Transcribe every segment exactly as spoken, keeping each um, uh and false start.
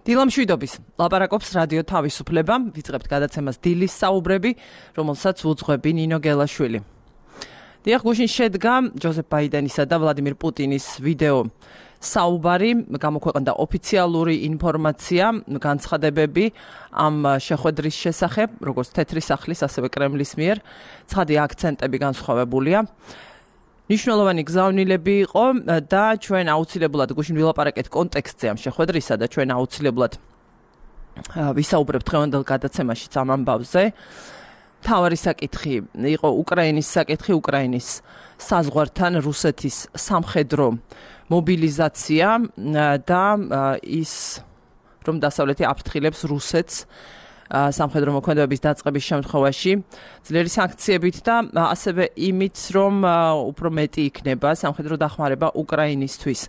დილამშვიდობის ლაპარაკობს რადიო თავისუფლება, ვიწყებთ გადაცემას დილის საუბრები, რომელსაც უძღვები ნინო გელაშვილი. დიახ, გუშინ შედგა ჯოზეფ ბაიდენისა და ვლადიმირ პუტინის ვიდეო საუბარი, გამოქვეყნდა ოფიციალური ინფორმაცია, განცხადებები ამ შეხვედრის შესახებ, როგორც თეთრი სახლის, ასევე კრემლის მიერ, ცხადი აქცენტები განსხვავებულია. ნიშნულოვანი გზავნილები იყო და ჩვენ აუცილებლად გუშინ ვილაპარაკეთ კონტექსტზე ამ შეხვედრისა და ჩვენ აუცილებლად ვისაუბრებთ დღევანდელ გადაცემაშიც ამ ამბავზე. მთავარი საკითხი იყო უკრაინის საკითხი, უკრაინის საზღვართან რუსეთის სამხედრო მობილიზაცია და ის რომ დასავლეთი აფრთხილებს რუსეთს სამხედრო მოქმედებების დაწყების შემთხვევაში ძლიერი სანქციებით და ასევე იმით, რომ უფრო მეტი იქნება სამხედრო დახმარება უკრაინისთვის.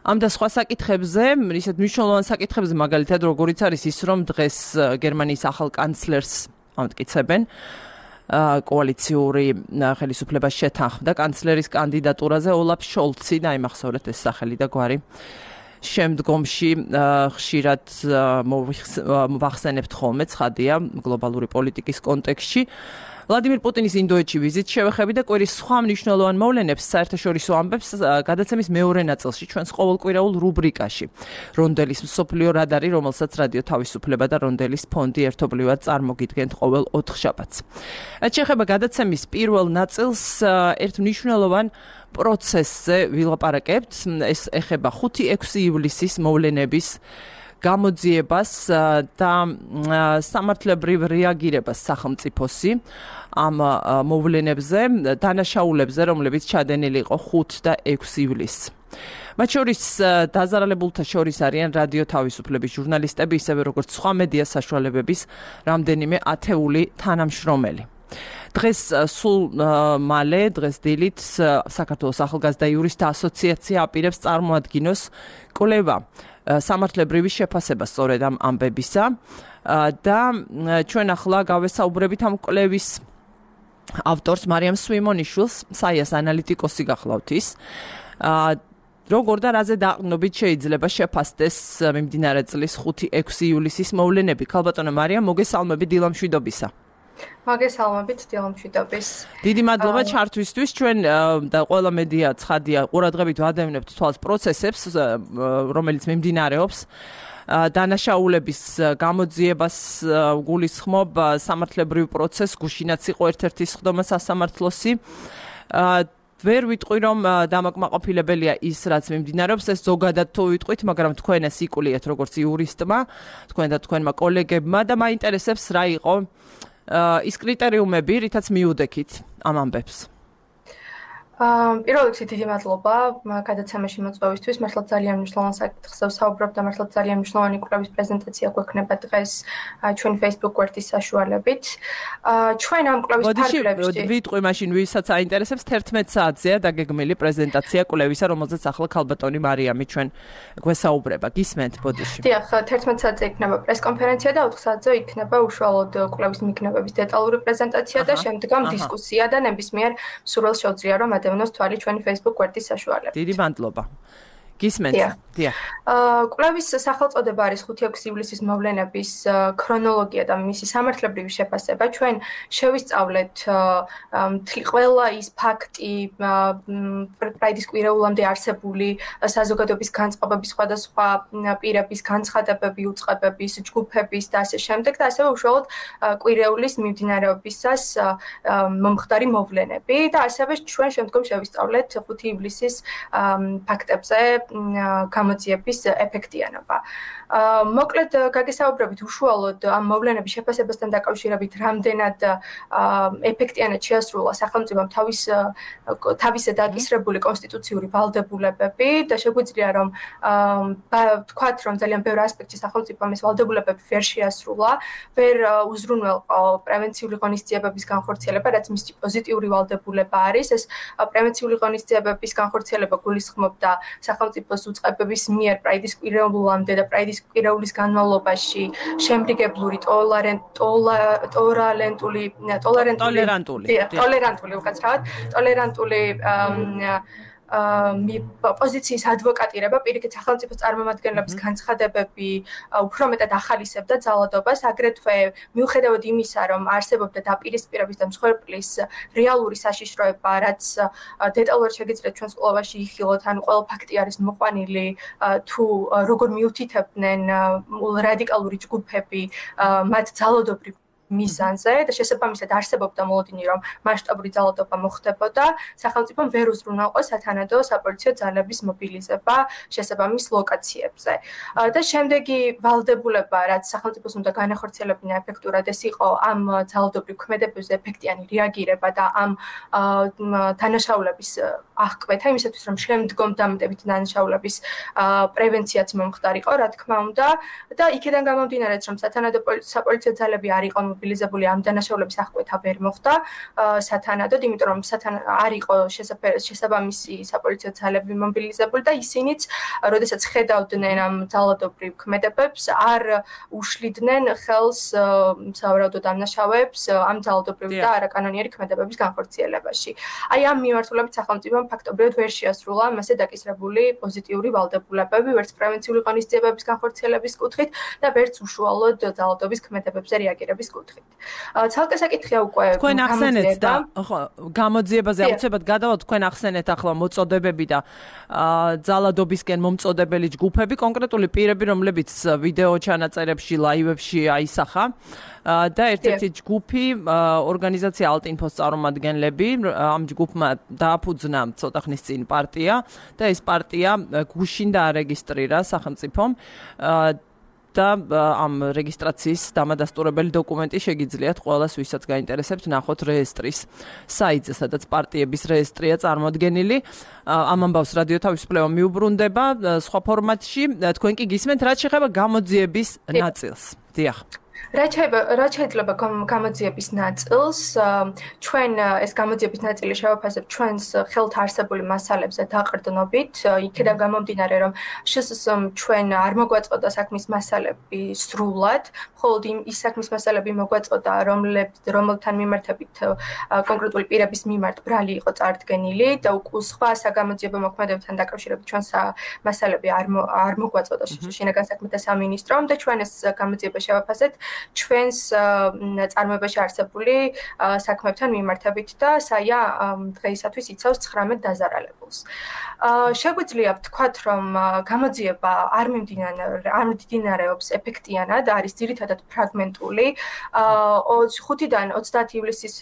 ამ და სხვა საკითხებზე, ისეთ მნიშვნელოვან საკითხებზე, მაგალითად, როგორიც არის ის, რომ დღეს გერმანიის ახალ კანცლერს ამტკიცებენ კოალიციური ხელისუფლებას შეთანხმდა კანცლერის კანდიდატურაზე ოლაფ შოლცი, დაიმახსოვრეთ ეს სახელი და გვარი. შემდგომში ხშირად ვახსენებთ ხოლმე, ცხადია, გლობალური პოლიტიკის კონტექსტში. ვლადიმირ პუტინის ინდოეთში ვიზიტს შევეხები და კვირის სხვა მნიშვნელოვან მოვლენებს საერთაშორისო ამბებს გადაცემის მეორე ნაწილში ჩვენს ყოველკვირეულ რუბრიკაში. რონდელის მსოფლიო რადარი, რომელსაც რადიო თავისუფლება და რონდელის ფონდი ერთობლივად წარმოგიდგენთ ყოველ ოთხშაბათს. რაც შეეხება გადაცემის პირველ ნაწილს, ერთ მნიშვნელოვან პროცესზე ვილაპარაკებთ. ეს ეხება ხუთი ექვსი ივლისის მოვლენების გამოძიებას და სამართლებრივ რეაგირებას სახელმწიფოსი ამ მოვლენებზე, დანაშაულებზე, რომლებიც ჩადენილი იყო ხუთი და ექვსი ივლისს. მათ შორის დაზარალებულთა შორის არიან რადიო თავისუფლების ჟურნალისტები, ისევე როგორც სხვა მედია საშუალებების რამდენიმე ათეული თანამშრომელი. დღეს სულ მალე, დღეს დილით საქართველოს ახალგაზრდა იურისტთა ასოციაცია აპირებს წარმოადგინოს კვლევა სამართლებრივი შეფასება სწორედ ამ ამბებისა და ჩვენ ახლა გავესაუბრებით ამ კვლევის ავტორს მარიამ სვიმონიშვილს, საიას ანალიტიკოსი გახლავთ ის. როგორ და რაზე დაყრდნობით შეიძლება შეფასდეს მიმდინარე წლის ხუთი ექვსი ივლისის მოვლენები? ქალბატონო მარიამ, მოგესალმებით დილამშვიდობისა. მოგესალმებით დილამშვიდობის. დიდი მადლობა ჩართვისთვის. ჩვენ და ყველა მედია ცხადია ყურადღებით ვადევნებთ თვალს პროცესებს, რომელიც მიმდინარეობს. დანაშაულების გამოძიებას გულისხმობ სამართლებრივ პროცესს, გუშინაც იყო ერთ-ერთი სხდომა სასამართლოსი. ვერ ვიტყვი, რომ დამაკმაყოფილებელია ის, რაც მიმდინარეობს, ეს ზოგადად თუ ვიტყვით, მაგრამ თქვენ ეს იკულიეთ როგორც იურისტმა, თქვენ და თქვენმა კოლეგებმა და მაინტერესებს რა იყო ის კრიტერიუმები, რითაც მიუდექით ამ ამბებს. პირველ რიგში დიდი მადლობა გადაცემაში მოწვევისთვის. მართლაც ძალიან მნიშვნელოვან საკითხზე ვსაუბრობ და მართლაც ძალიან მნიშვნელოვანი კვლევის პრეზენტაცია გვექნება დღეს ჩვენი Facebook გვერდის საშუალებით. ჩვენ ამ კვლევის ფარგლებში ვიტყვი მაშინ, ვისაც აინტერესებს, თერთმეტ საათზეა დაგეგმილი პრეზენტაცია კვლევისა, რომელზეც ახლა ქალბატონი მარიამი ჩვენ გვესაუბრება. გისმენთ ბოდიში. დიახ, თერთმეტ საათზე იქნება პრესკონფერენცია და ოთხ საათზე იქნება უშუალოდ კვლევის მიგნებების დეტალური პრეზენტაცია და შემდგომ დისკუსია და ნებისმიერ მსურველს შეუძლია რომ დევნოს თვალი ჩვენი Facebook გვერდის საშუალებით. დიდი მადლობა. გისმენთ? დიახ. კვლევის სახელწოდება არის ხუთი ექვსი ივლისის მოვლენების ქრონოლოგია და მისი სამართლებრივი შეფასება. ჩვენ შევისწავლეთ ყველა ის ფაქტი, პრაიდის კვირეულამდე არსებული საზოგადოების განწყობების სხვადასხვა პირების განცხადებები, უწყებების, ჯგუფების და ასე შემდეგ და ასევე უშუალოდ კვირეულის მიმდინარეობისას მომხდარი მოვლენები და ასევე ჩვენ შემდგომ შევისწავლეთ ხუთი ივლისის ფაქტებზე გამოძიების ეფექტიანობა. მოკლედ გაგესაუბრებით უშუალოდ ამ მოვლენების შეფასებასთან დაკავშირებით რამდენად ეფექტიანად შეასრულა სახელმწიფომ თავის თავისე დაკისრებული კონსტიტუციური ვალდებულებები და შეგვიძლია რომ ვთქვათ რომ ძალიან ბევრ ასპექტში სახელმწიფომ ეს ვალდებულებები ვერ შეასრულა, ვერ უზრუნველყო პრევენციული ღონისძიებების განხორციელება, რაც მისი პოზიტიური ვალდებულება არის. ეს პრევენციული ღონისძიებების განხორციელება გულისხმობდა სახელმწიფოს უწყებების მიერ პრაიდის კვირეულამდე და პრაიდის კვირეულის განმავლობაში შემრიგებლური ტოლერანტული ტოლერანტული ტოლერანტული ტოლერანტული უკაცრავად ტოლერანტული პოზიციის ადვოკატირება, პირიქით სახელმწიფო წარმომადგენლების განცხადებები უფრო მეტად ახალისებდა ძალადობას, აგრეთვე მიუხედავად იმისა, რომ არსებობდა დაპირისპირების და მსხვერპლის რეალური საშიშროება, რაც დეტალურად შეგიძლიათ ჩვენს კვლევაში იხილოთ, ანუ ყველა ფაქტი არის მოყვანილი, თუ როგორ მიუთითებდნენ რადიკალური ჯგუფები მათ ძალადობრივ მიზანზე და შესაბამისად არსებობდა მოლოდინი, რომ მასშტაბური ძალადობა მოხდებოდა, სახელმწიფომ ვერ უზრუნველყო სათანადო საპოლიციო ძალების მობილიზება შესაბამის ლოკაციებზე. და შემდეგი ვალდებულება, რაც სახელმწიფოს უნდა განახორციელებინა ეფექტურად, ეს იყო ამ ძალადობრივ ქმედებებზე ეფექტიანი რეაგირება და ამ დანაშაულების აღკვეთა, იმისათვის რომ შემდგომ დამატებითი დანაშაულების პრევენციაც მომხდარიყო, რა თქმა უნდა, და იქედან გამომდინარეც, რომ სათანადო საპოლიციო ძალები არ იყო მობილიზებული, ამ დანაშაულების აღკვეთა ვერ მოხდა სათანადოდ, იმიტომ რომ არ იყო შესაბამისი საპოლიციო ძალები მობილიზებული და ისინიც, როდესაც ხედავდნენ ამ ძალადობრივ ქმედებებს, არ უშლიდნენ ხელს სავარაუდო დამნაშავეებს ამ ძალადობრივ და არაკანონიერი ქმედებების განხორციელებაში. აი ამ მიმართულებით სახელმწიფომ ფაქტობრივად ვერ შეასრულა მასზე დაკისრებული პოზიტიური ვალდებულებები, ვერც პრევენციული ღონისძიებების განხორციელების კუთხით და ვერც უშუალოდ ძალადობის ქმედებებზე რეაგირების კუთხით. ცალკე საკითხია უკვე თქვენ ახსენეთ და ხო გამოძიებაზე აუცილებლად გადავალთ, თქვენ ახსენეთ ახლა მოწოდებები და ძალადობისკენ მომწოდებელი ჯგუფები, კონკრეტული პირები, რომლებიც ვიდეო ჩანაწერებში, ლაივებში აისახა და ერთ-ერთი ჯგუფი ორგანიზაცია ალტინფოს წარმომადგენლები, ამ ჯგუფმა დააფუძნა ცოტა ხნის წინ პარტია და ეს პარტია გუშინ დაარეგისტრირა სახელმწიფომ და ამ რეგისტრაციის დამადასტურებელი დოკუმენტი შეგიძლიათ ყველას, ვისაც გაინტერესებთ, ნახოთ რეესტრის საიტზე, სადაც პარტიების რეესტრია წარმოდგენილი. ამ ამბავს რადიო თავისუფლება მიუბრუნდება სხვა ფორმატში. თქვენ კი გისმენთ, რაც შეეხება გამოძიების ნაწილს. დიახ. რაც შეიძლება გამოძიების ნაწილს, ჩვენ ეს გამოძიების ნაწილი შევაფასებთ ჩვენს ხელთ არსებული მასალებზე დაყრდნობით, იქედან გამომდინარე, რომ შესაძლოა ჩვენ არ მოგვაწოდა საქმის მასალები სრულად, მხოლოდ ის საქმის მასალები მოგვაწოდა, რომელთან მიმართებით კონკრეტული პირების მიმართ ბრალი იყო წარდგენილი და სხვა საგამოძიებო მოქმედებებთან დაკავშირებით ჩვენს მასალები არ მოგვაწოდა შინაგან საქმეთა სამინისტრომ და ჩვენ ეს გამოძიება შევაფასეთ ჩვენს წარმოებაში არსებული საქმეებთან მიმართებით და საია დღეისათვის იცავს ცხრამეტ დაზარალებულს. შეგვიძლია ვთქვათ, რომ გამოძიება არ მიმდინარეობს ეფექტიანად, არის ძირითადად ფრაგმენტული. ხუთიდან ოცდაათი ივლისის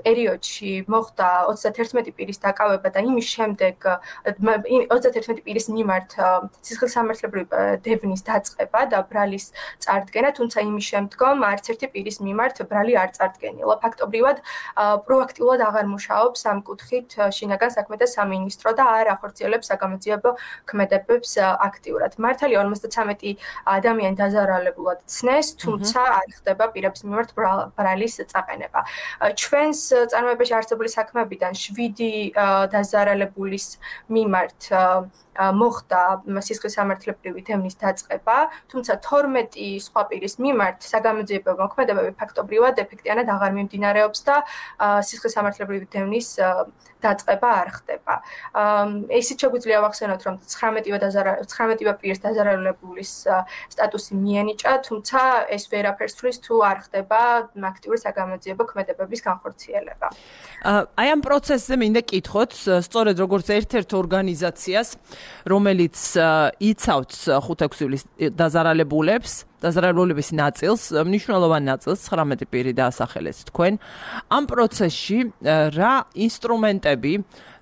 პერიოდში მოხდა ოცდათერთმეტი პირის დაკავება და იმის შემდეგ ოცდათერთმეტი პირის მიმართ სისხლისამართლებრივი დევნის დაწყება და ბრალის წარდგენა, თუმცა იმის შემდგომ არც ერთი პირის მიმართ ბრალი არ წარდგენილა. ფაქტობრივად პროაქტიულად აღარ მუშაობს ამ კუთხით შინაგან საქმეთა სამინისტრო და არ ახორციელებს საგამოძიებო ქმედებებს აქტიურად. მართალია ორმოცდათრამეტი ადამიანი დაზარალებულად ცნეს, თუმცა არ ხდება პირების მიმართ ბრალის წაყენება. ჩვენს წარმოებაში არსებული საქმეებიდან შვიდი დაზარალებულის მიმართ მოხდა სისხლისამართლებრივი დევნის დაწყება, თუმცა თორმეტი სხვა პირის მიმართ საგამოძიებო მოქმედებები ფაქტობრივად ეფექტიანად აღარ მიმდინარეობს და სისხლისამართლებრივი დევნის დაწყება არ ხდება. ისიც შეგვიძლია ვახსენოთ, რომ ცხრამეტივე პირის დაზარალებულის სტატუსი მიენიჭა, თუმცა ეს ვერაფერს თვლის თუ არ ხდება აქტიური საგამოძიებო ქმედებების განხორციელება. აი ამ პროცესზე მინდა კითხოთ, სწორედ როგორც ერთ-ერთ ორგანიზაციას, რომელიც იცავს ხუთი-ექვსი ივლისის დაზარალებულებს, დაზარალებულების ნაწილს, მნიშვნელოვან ნაწილს ცხრამეტი პირი დაასახელეთ თქვენ. ამ პროცესში რა ინსტრუმენტები,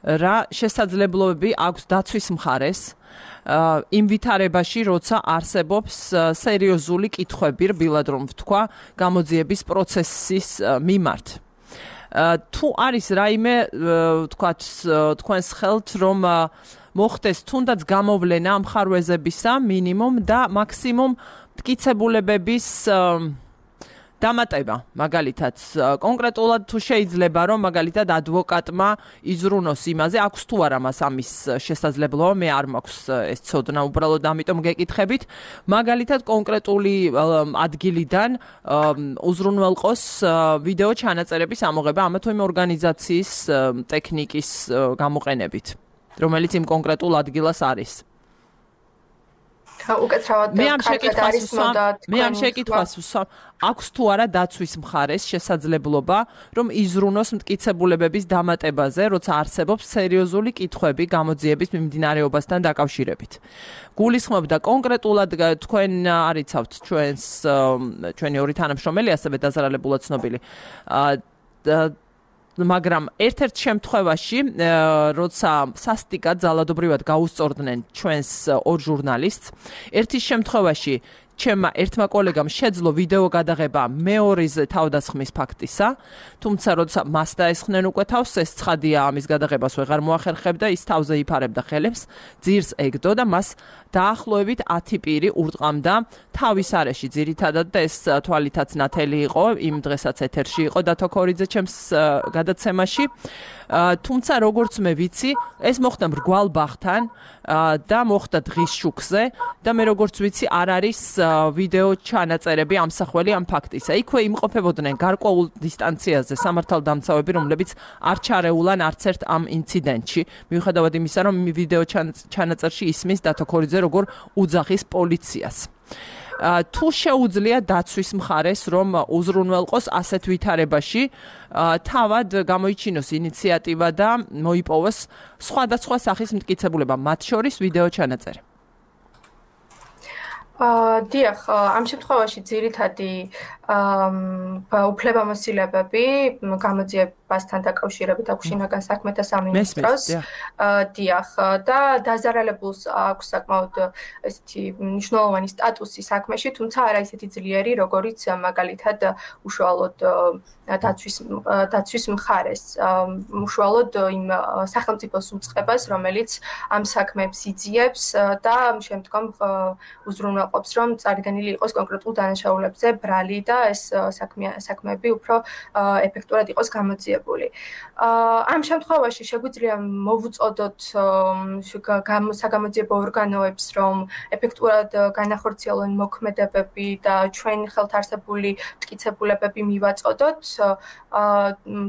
რა შესაძლებლობები აქვს დაცვის მხარეს იმ ვითარებაში, როცა არსებობს სერიოზული კითხვები, რბილად რომ ვთქვა, გამოძიების პროცესის მიმართ. თუ არის რაიმე, ვთქვათ, თქვენს ხელთ, რომ მოხდეს თუნდაც გამოვლენა ამ ხარვეზებისა მინიმუმ და მაქსიმუმ მტკიცებულებების დამატება, მაგალითად, კონკრეტულად თუ შეიძლება, რომ მაგალითად ადვოკატმა იზრუნოს იმაზე, აქვს თუ არა მას ამის შესაძლებლობა, მე არ მაქვს ეს ცოდნა, უბრალოდ ამიტომ გეკითხებით, მაგალითად კონკრეტული ადგილიდან უზრუნველყოს ვიდეო ჩანაწერების ამოღება ამა თუ იმ ორგანიზაციის ტექნიკის გამოყენებით. რომელიც იმ კონკრეტულ ადგილას არის. უკეთრავად მე ამ შეკითხვას ვსვამ, მე ამ შეკითხვას ვსვამ, აქვს თუ არა დაცვის მხარეს შესაძლებლობა, რომ იზრუნოს მტკიცებულებების დამატებაზე, როცა არსებობს სერიოზული კითხვები გამოძიების მიმდინარეობასთან დაკავშირებით. გულისხმობდა კონკრეტულად თქვენ არიცავთ ჩვენს ჩვენი ორი თანამშრომელი, ასევე დაზარალებულად ცნობილი. მაგრამ ერთ-ერთ შემთხვევაში, როცა სასტიკად ძალადობრივად გაუსწორდნენ ჩვენს ორ ჟურნალისტს, ერთის შემთხვევაში ჩემმა ერთმა კოლეგამ შეძლო ვიდეო გადაღება მეორეზე თავდასხმის ფაქტისა, თუმცა როცა მას დაესხნენ უკვე თავს, ეს ცხადია ამის გადაღებას ვეღარ მოახერხებდა, ის თავზე იფარებდა ხელებს, ძირს ეგდო და მას დაახლოებით ათი პირი ურტყამდა თავის არეში, ძირითადად და ეს თვალითაც ნათელი იყო, იმ დღესაც ეთერში იყო დათო ქორიძე ჩემს გადაცემაში. თუმცა როგორც მე ვიცი, ეს მოხდა მრგვალ ბაღთან და მოხდა დღის შუქზე და მე როგორც ვიცი, არ არის ვიდეო ჩანაწერები ამსახველი ამ ფაქტისა. იქვე იმყოფებოდნენ გარკვეულ დისტანციაზე სამართალდამცავები, რომლებიც არ ჩარეულან არც ერთ ამ ინციდენტში, მიუხედავად იმისა, რომ ვიდეო ჩანაწერში ისმის დათო ქორიძე როგორ უძახის პოლიციას. თუ შეუძლია დაცვის მხარეს, რომ უზრუნველყოს ასეთ ვითარებაში, თავად გამოიჩინოს ინიციატივა და მოიპოვოს სხვადასხვა სახის მტკიცებულება, მათ შორის ვიდეო ჩანაწერი. დიახ, ამ შემთხვევაში ძირითადი უფლებამოსილებები გამოძიებასთან დაკავშირებით აქვს შინაგან საქმეთა სამინისტროს. დიახ, და დაზარალებულს აქვს საკმაოდ ესეთი მნიშვნელოვანი სტატუსი საქმეში, თუმცა არა ისეთი ძლიერი, როგორიც მაგალითად უშუალოდ დაცვის დაცვის მხარეს, უშუალოდ იმ სახელმწიფოს უწყებას, რომელიც ამ საქმეებს იძიებს და შემდგომ უზრუნველყოფს, რომ წარდგენილი იყოს კონკრეტულ დანაშაულებზე ბრალი და ეს საქმეები უფრო ეფექტურად იყოს გამოძიებული. ამ შემთხვევაში შეგვიძლია მოვუწოდოთ საგამოძიებო ორგანოებს, რომ ეფექტურად განახორციელონ მოქმედებები და ჩვენ ხელთარსებული მტკიცებულებები მივაწოდოთ,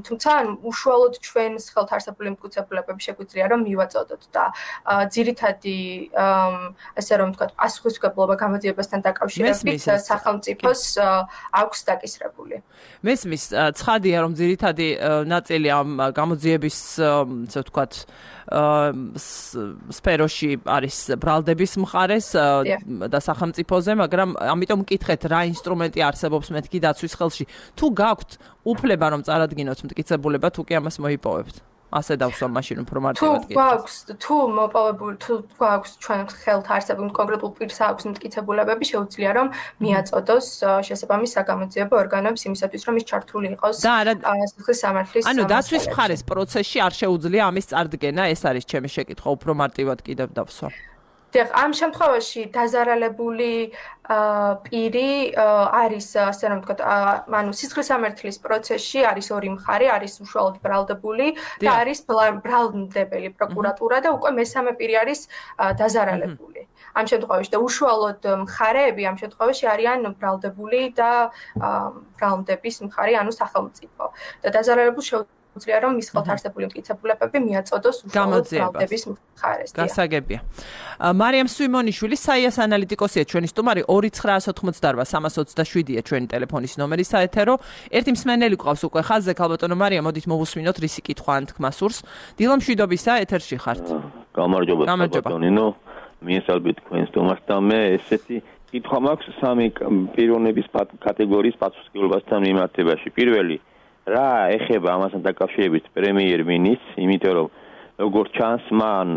თუმცა უშუალოდ ჩვენს ხელთარსებული მტკიცებულებები შეგვიძლია რომ მივაწოდოთ და ძირითადი ასე რომ ვთქვათ, პასუხისმგებლობა გამოძიებასთან დაკავშირებით სახელმწიფოს აქვს დაკისრებული. მესმის, ცხადია, რომ ძირითადი ნაწილი ამ გამოძიების, ასე ვთქვათ, სფეროში არის ბრალდების მხარეს და სახელმწიფოზე, მაგრამ ამიტომ მკითხეთ, რა ინსტრუმენტი არსებობს მეთქი დაცვის ხელში. თუ გაქვთ უფლება რომ წარადგინოთ მტკიცებულება, თუ კი ამას მოიპოვებთ. ასე დავსვამ მაშინ უფრო მარტივად გითხეთ. თუ გვაქვს, თუ მოპოვებული, თუ გვაქვს ჩვენ ხელთ არსებული კონკრეტულ პირს აქვს მტკიცებულებები, შეუძლია რომ მიაწოდოს შესაბამის საგამოძიებო ორგანოებს იმისათვის, რომ ის ჩართული იყოს სიხლის სამართლის. ანუ დაცვის მხარეს პროცესში არ შეუძლია ამის წარდგენა, ეს არის ჩემი შეკითხვა, უფრო მარტივად კიდევ დავსვამ. დიახ, ამ შემთხვევაში დაზარალებული პირი არის, ასე რომ ვთქვათ, ანუ სისხლის სამართლის პროცესში არის ორი მხარე, არის უშუალოდ ბრალდებული და არის ბრალდებელი პროკურატურა და უკვე მესამე პირი არის დაზარალებული. ამ შემთხვევაში და უშუალოდ მხარეები ამ შემთხვევაში არიან ბრალდებული და ბრალდების მხარე, ანუ სახელმწიფო. და დაზარალებულს შეუძლია რომ მის ხელთარსებული მტკიცებულებები მიაწოდოს უშუალოდ ბრალდების მხარეს. გასაგებია. მარიამ სვიმონიშვილი, საიას ანალიტიკოსია ჩვენი სტუმარი, ორი ცხრაას ოთხმოცდარბა სამას ოცდაშვიდია ჩვენი ტელეფონის ნომერი საეთერო. ერთი მსმენელი გვყავს უკვე ხაზზე, ქალბატონო მარიამ, მოდით მოვუსმინოთ რისი კითხვა ან თქმა სურს. დილო მშვიდობისა, ეთერში ხართ. გამარჯობა ქალბატონინო, მიესალმებით თქვენს სტუმარს და მე ესეთი კითხვა მაქვს სამი პიროვნების კატეგორიის პასუხისმგებლობასთან მიმართებაში. პირველი რა ეხება ამასთან დაკავშირებით პრემიერ-მინისტრს, იმიტომ რომ როგორც ჩანს, მან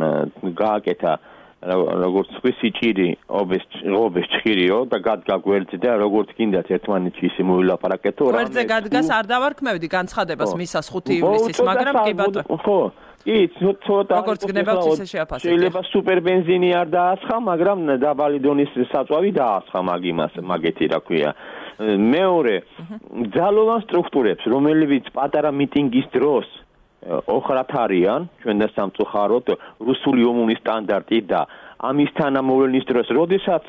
გააკეთა როგორც სიჭირი ობეს ობეს ჭირიო და გადგა გვერდზე და როგორც გინდათ ერთმანეთში ისე მოვილაპარაკეთო რა გვერდზე გადგას არ დავარქმევდი განცხადებას მისას ხუთი ივლისის, მაგრამ კი ბატონო ხო კი ცოტა როგორც გნებავთ ისე შეაფასეთ. შეიძლება სუპერ ბენზინი არ დაასხა, მაგრამ დაბალი დონის საწვავი დაასხა მაგ იმას, მაგეთი რა ქვია. მეორე ძალოვან სტრუქტურებს, რომლებიც პატარა მიტინგის დროს ოხრად არიან, ჩვენ და სამწუხაროდ რუსული ომუნის სტანდარტი და ამის თანამოვლენის დროს, როდესაც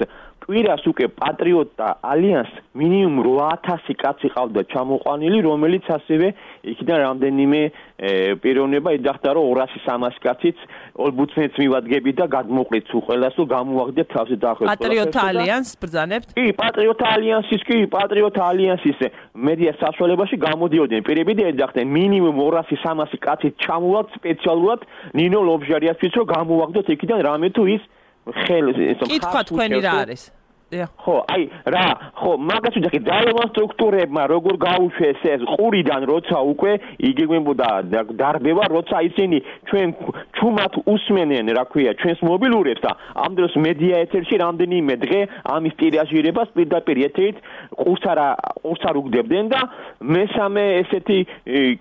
კვირას უკვე პატრიოტთა ალიანს მინიმუმ რვა ათასი კაცი ყავდა ჩამოყვანილი, რომელიც ასევე იქიდან რამდენიმე პიროვნება იძახდა, რომ ორასი სამასი კაციც ოლბუცნეთს მივადგებით და გადმოყრით უყელას, რომ გამოვაგდეთ თავზე დაახლოებით. პატრიოტთა ალიანსს ბრძანებთ? კი, პატრიოტთა ალიანსის კი, პატრიოტთა ალიანსის მედია საშუალებაში გამოდიოდნენ პირები და ეძახდნენ მინიმუმ ორასი სამასი კაცით ჩამოვაგდ სპეციალურად ნინო ლობჟარიასთვის, რომ გამოვაგდოთ იქიდან რამე თუ ის ხელს ეს კითხვა თქვენი რა არის? ხო, აი რა, ხო, მაგას ვიძახი ძალოვან სტრუქტურებმა როგორ გაუშვეს ეს ყურიდან, როცა უკვე იგეგმებოდა დარბევა, როცა ისინი ჩვენ ჩუმად უსმენენ, რა ქვია, ჩვენს მობილურებს და ამ დროს მედია ეთერში რამდენიმე დღე ამის ტირაჟირებას პირდაპირ ეთერით ყურს არა ყურს არ უგდებდნენ და მესამე ესეთი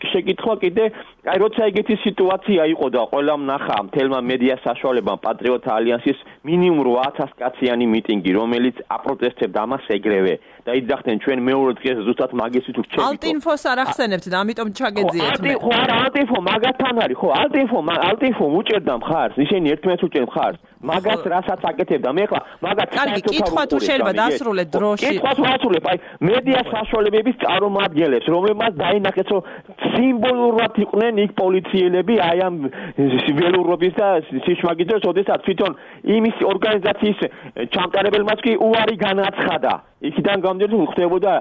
შეკითხვა კიდე, აი როცა ეგეთი სიტუაცია იყო და ყველამ ნახა მთელმა მედია საშუალებამ პატრიოტთა ალიანსის მინიმუმ რვა ათასი კაციანი მიტინგი, რომელიც აპროტესტებდა ამას ეგრევე და იძახდნენ ჩვენ მეორე დღეს ზუსტად მაგისი თუ რჩებით. ალტინფოს არ ახსენებთ და ამიტომ ჩაგეძიეთ მე. ხო, არა, ალტინფო მაგათთან არის, ხო, ალტინფო, ალტინფო უჭერდა მხარს, ისინი ერთმანეთს უჭერენ მხარს. მაგას რასაც აკეთებდა მე ხლა, მაგათ კარგი, კითხვა თუ შეიძლება დასრულეთ დროში. კითხვა თუ ასრულებ, აი მედია საშუალებების წარმომადგენლებს, რომლებმაც დაინახეს, რომ სიმბოლურად იყვნენ იქ პოლიციელები, აი ამ ველურობის და სიშმაგის დროს, ოდესაც თვითონ იმის ორგანიზაციის ჩამტარებელმაც კი უარი განაცხადა. იქიდან გამოდიოდა ხდებოდა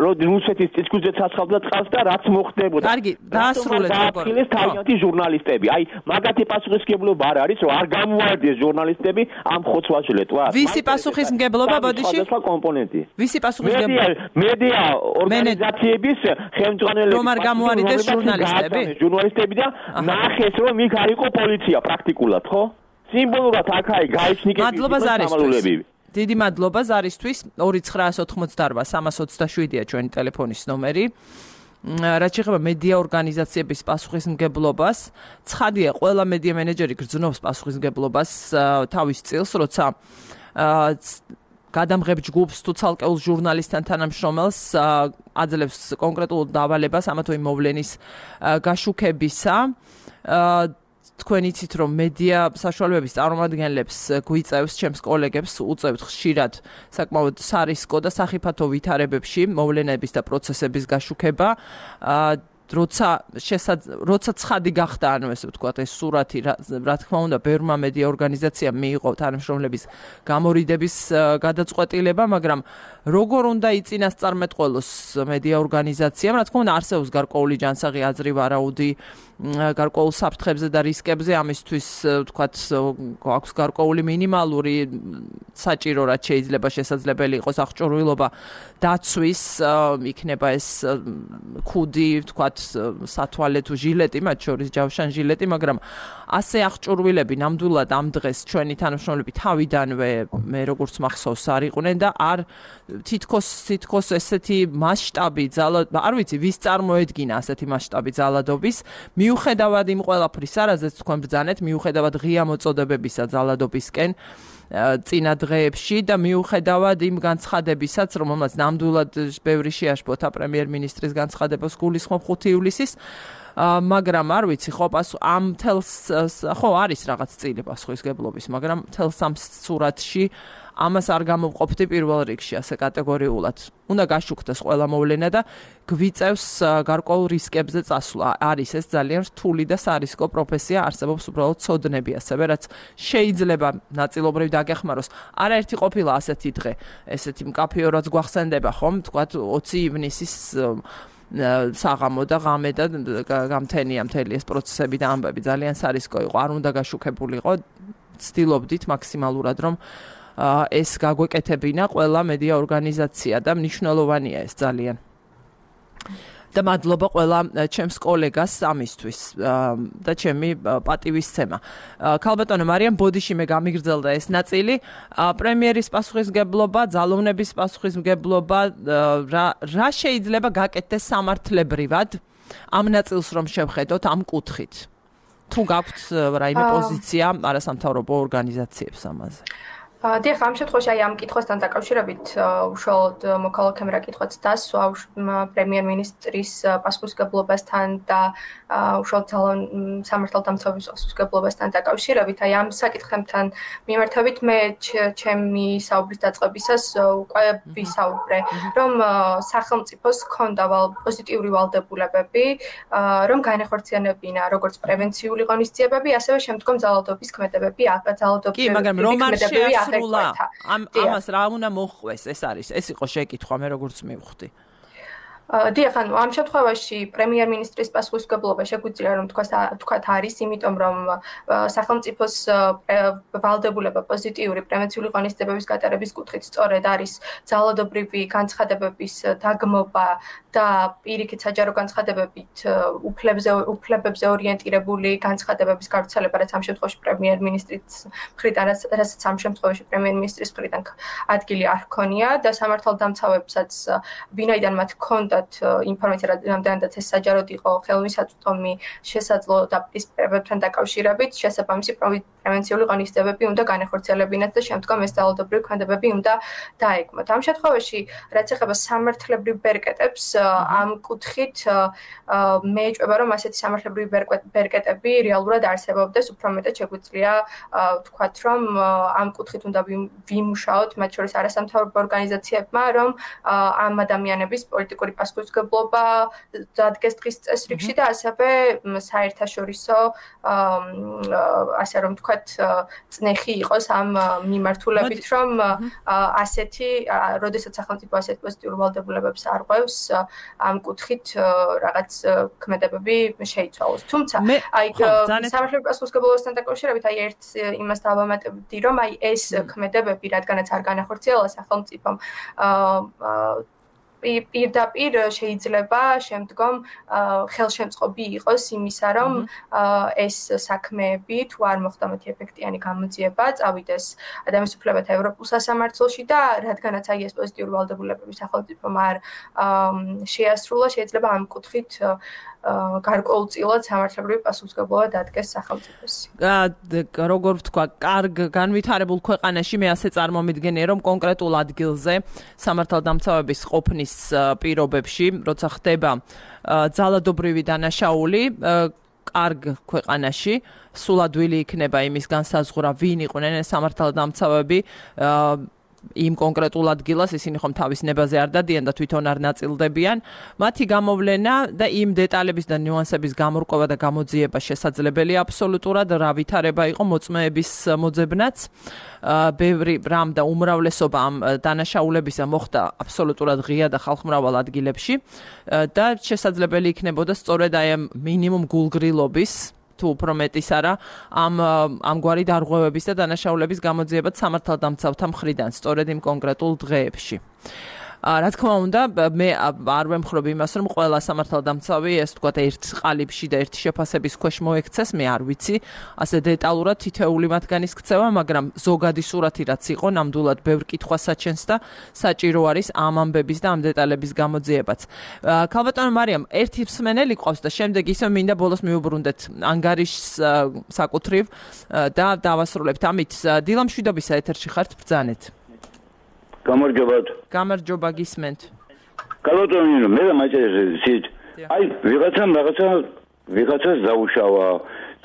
რომ რუსეთის წისქვილზე ცაცხლდა წყალს და რაც მოხდებოდა. კარგი, დაასრულეთ როგორ. ეს თავიანთი ჟურნალისტები. აი, მაგათი პასუხისმგებლობა არ არის, რომ არ გამოარდეს ჟურნალისტები ამ ხოცვაში ლეტვა. ვისი პასუხისმგებლობა ბოდიში? სხვა კომპონენტი. ვისი პასუხისმგებლობა? მედია ორგანიზაციების ხელმძღვანელები. რომ არ გამოარიდეს ჟურნალისტები? ჟურნალისტები და ნახეს, რომ იქ არ იყო პოლიცია პრაქტიკულად, ხო? სიმბოლურად აქ-აი გაიჩნიკეს მადლობა ზარისთვის. დიდი მადლობა ზარისთვის. ორი ცხრაას ოთხმოცდაარბა სამას ოცდაშვიდია ჩვენი ტელეფონის ნომერი. რაც შეეხება მედია ორგანიზაციების პასუხისმგებლობას, ცხადია, ყველა მედია მენეჯერი გრძნობს პასუხისმგებლობას თავის წილს, როცა გადამღებ ჯგუფს თუ ცალკეულ ჟურნალისტთან თანამშრომელს აძლევს კონკრეტულ დავალებას ამა თუ იმ მოვლენის გაშუქებისა. თქვენ იცით, რომ მედია საშუალებების წარმომადგენლებს გვიწევს, ჩემს კოლეგებს უწევთ ხშირად საკმაოდ სარისკო და სახიფათო ვითარებებში მოვლენების და პროცესების გაშუქება. როცა როცა ცხადი გახდა, ანუ ესე ვთქვათ, ეს სურათი, რა თქმა უნდა, ბევრმა მედია ორგანიზაციამ მიიღო თანამშრომლების გამორიდების გადაწყვეტილება, მაგრამ როგორ უნდა იწინასწარმეტყველოს მედია ორგანიზაციამ, რა თქმა უნდა, არსებობს გარკვეული ჯანსაღი აზრი ვარაუდი გარკვეულ საფრთხებზე და რისკებზე, ამისთვის ვთქვათ, აქვს გარკვეული მინიმალური საჭირო, რაც შეიძლება შესაძლებელი იყოს აღჭურვილობა დაცვის, იქნება ეს ქუდი, ვთქვათ, სათვალე თუ ჟილეტი, მათ შორის ჯავშან ჟილეტი, მაგრამ ასე აღჭურვილები ნამდვილად ამ დღეს ჩვენი თანამშრომლები თავიდანვე მე როგორც მახსოვს არ იყვნენ და არ თითქოს თითქოს ესეთი მასშტაბი ძალად, არ ვიცი, ვის წარმოედგინა ასეთი მასშტაბი ძალადობის, მიუხედავად იმ ყველაფრისა, რაზეც თქვენ ბრძანეთ, მიუხედავად ღია მოწოდებებისა ძალადობისკენ წინა დღეებში და მიუხედავად იმ განცხადებისაც, რომელმაც ნამდვილად ბევრი შეაშფოთა პრემიერ-მინისტრის განცხადებას გულისხმობ ხუთი ივლისის, მაგრამ არ ვიცი, ხო, ამ თელს ხო არის რაღაც წილი პასუხისმგებლობის, მაგრამ თელს ამ სურათში ამას არ გამოვყოფდი პირველ რიგში ასე კატეგორიულად. უნდა გაშუქდეს ყველა მოვლენა და გვიწევს გარკვეულ რისკებზე წასვლა. არის ეს ძალიან რთული და სარისკო პროფესია, არსებობს უბრალოდ ცოდნები ასევე, რაც შეიძლება ნაწილობრივ დაგეხმაროს. არაერთი ყოფილა ასეთი დღე, ესეთი მკაფიო რაც გვახსენდება, ხომ, თქვათ ოცი ივნისის საღამო და ღამე და გამთენია მთელი ეს პროცესები და ამბები ძალიან სარისკო იყო. არ უნდა გაშუქებულიყო, ცდილობდით მაქსიმალურად, რომ ეს გაგვეკეთებინა ყველა მედია ორგანიზაცია და მნიშვნელოვანია ეს ძალიან. და მადლობა ყველა ჩემს კოლეგას ამისთვის და ჩემი პატივისცემა. ქალბატონო მარიამ, ბოდიში მე გამიგრძელდა ეს ნაწილი. პრემიერის პასუხისმგებლობა, ძალოვნების პასუხისმგებლობა, რა რა შეიძლება გაკეთდეს სამართლებრივად ამ ნაწილს რომ შევხედოთ ამ კუთხით. თუ გაქვთ რაიმე პოზიცია არასამთავრობო ორგანიზაციებს ამაზე. დიახ, ამ შემთხვევაში აი ამ კითხვასთან დაკავშირებით უშუალოდ მოქალაქემ რა კითხვაც დასვა პრემიერ-მინისტრის პასუხისმგებლობასთან და უშუალოდ სამართალდამცავების პასუხისმგებლობასთან დაკავშირებით. აი ამ საკითხებთან მიმართებით მე ჩემი საუბრის დაწყებისას უკვე ვისაუბრე, რომ სახელმწიფოს ჰქონდა პოზიტიური ვალდებულებები, რომ განეხორციელებინა როგორც პრევენციული ღონისძიებები, ასევე შემდგომ ძალადობის ქმედებები, ძალადობის ქმედებები სრულა ამ ამას რა უნდა მოხდეს ეს არის ეს იყო შეკითხვა მე როგორც მივხვდი დიახ, ანუ ამ შემთხვევაში პრემიერ-მინისტრის პასუხისმგებლობა შეგვიძლია რომ თქვათ არის, იმიტომ რომ სახელმწიფოს ვალდებულება პოზიტიური პრევენციული ღონისძიებების გატარების კუთხით სწორედ არის ძალადობრივი განცხადებების დაგმობა და პირიქით საჯარო განცხადებებით უფლებებზე უფლებებზე ორიენტირებული განცხადებების გავრცელება, რაც ამ შემთხვევაში პრემიერ-მინისტრის მხრიდან, რასაც ამ შემთხვევაში პრემიერ-მინისტრის მხრიდან ადგილი არ ჰქონია და სამართალდამცავებსაც ვინაიდან მათ ჰქონდათ ინფორმაცია რამდენადაც ეს საჯაროდ იყო ხელმისაწვდომი შესაძლო დაპირისპირებებთან დაკავშირებით, შესაბამისი პრევენციული ღონისძიებები უნდა განეხორციელებინათ და შემდგომ ეს ძალადობრივი ქმედებები უნდა დაეგმოთ. ამ შემთხვევაში, რაც ეხება სამართლებრივ ბერკეტებს, ამ კუთხით მე ეჭვება, რომ ასეთი სამართლებრივი ბერკეტები რეალურად არსებობდეს, უფრო მეტად შეგვიძლია ვთქვათ, რომ ამ კუთხით უნდა ვიმუშაოთ, მათ შორის არასამთავრობო ორგანიზაციებმა, რომ ამ ადამიანების პოლიტიკური პასუხისმგებლობა დადგეს დღის წესრიგში და ასევე საერთაშორისო ასე რომ ვთქვათ წნეხი იყოს ამ მიმართულებით, რომ ასეთი, როდესაც სახელმწიფო ასეთ პოზიტიურ ვალდებულებებს არღვევს, ამ კუთხით რაღაც ქმედებები შეიცვალოს. თუმცა, აი სამართლებრივ პასუხისმგებლობასთან დაკავშირებით, აი ერთ იმას დავამატებდი, რომ აი ეს ქმედებები, რადგანაც არ განახორციელა სახელმწიფომ პირდაპირ შეიძლება შემდგომ ხელშემწყობი იყოს იმისა, რომ ეს საქმეები თუ არ მოხდა მათი ეფექტიანი გამოძიება, წავიდეს ადამიანის უფლებათა ევროპულ სასამართლოში და რადგანაც აი ეს პოზიტიური ვალდებულებები სახელმწიფომ არ შეასრულა, შეიძლება ამ კუთხით გარკვეულწილად სამართლებრივი პასუხისმგებლობა დადგეს სახელმწიფოს. როგორ ვთქვა, კარგ განვითარებულ ქვეყანაში მე ასე წარმომიდგენია, რომ კონკრეტულ ადგილზე სამართალდამცავების ყოფნის პირობებში, როცა ხდება ძალადობრივი დანაშაული, კარგ ქვეყანაში სულ ადვილი იქნება იმის განსაზღვრა, ვინ იყვნენ ეს სამართალდამცავები, იმ კონკრეტულ ადგილას ისინი ხომ თავის ნებაზე არ დადიან და თვითონ არ ნაწილდებიან. მათი გამოვლენა და იმ დეტალების და ნიუანსების გამორკვევა და გამოძიება შესაძლებელია აბსოლუტურად, რა ვითარება იყო მოწმეების მოძებნაც. ბევრი რამ და უმრავლესობა ამ დანაშაულებისა მოხდა აბსოლუტურად ღია და ხალხმრავალ ადგილებში და შესაძლებელი იქნებოდა სწორედ აი ამ მინიმუმ გულგრილობის თუ უფრო მეტის არა ამ ამგვარი დარღვევების და დანაშაულების გამოძიებაც სამართალდამცავთა მხრიდან სწორედ იმ კონკრეტულ დღეებში. რა თქმა უნდა, მე არ ვემხრობ იმას, რომ ყველა სამართალდამცავი ეს თქვა ერთ ყალიბში და ერთი შეფასების ქვეშ მოექცეს, მე არ ვიცი, ასე დეტალურად თითოეული მათგანის ქცევა, მაგრამ ზოგადი სურათი რაც იყო, ნამდვილად ბევრ კითხვას საჩენს და საჭირო არის ამ ამბების და ამ დეტალების გამოძიებაც. ქალბატონო მარიამ, ერთი მსმენელი ყავს და შემდეგ ისე მინდა ბოლოს მივუბრუნდეთ ანგარიშს საკუთრივ და დავასრულებთ. ამით დილა მშვიდობისა ეთერში ხართ, ბრძანეთ. გამარჯობათ. გამარჯობა, გისმენთ. კალოტონინო, მე და მაჭერეთ. აი, ვიღაცა რაღაცა ვიღაცას დაუშავა.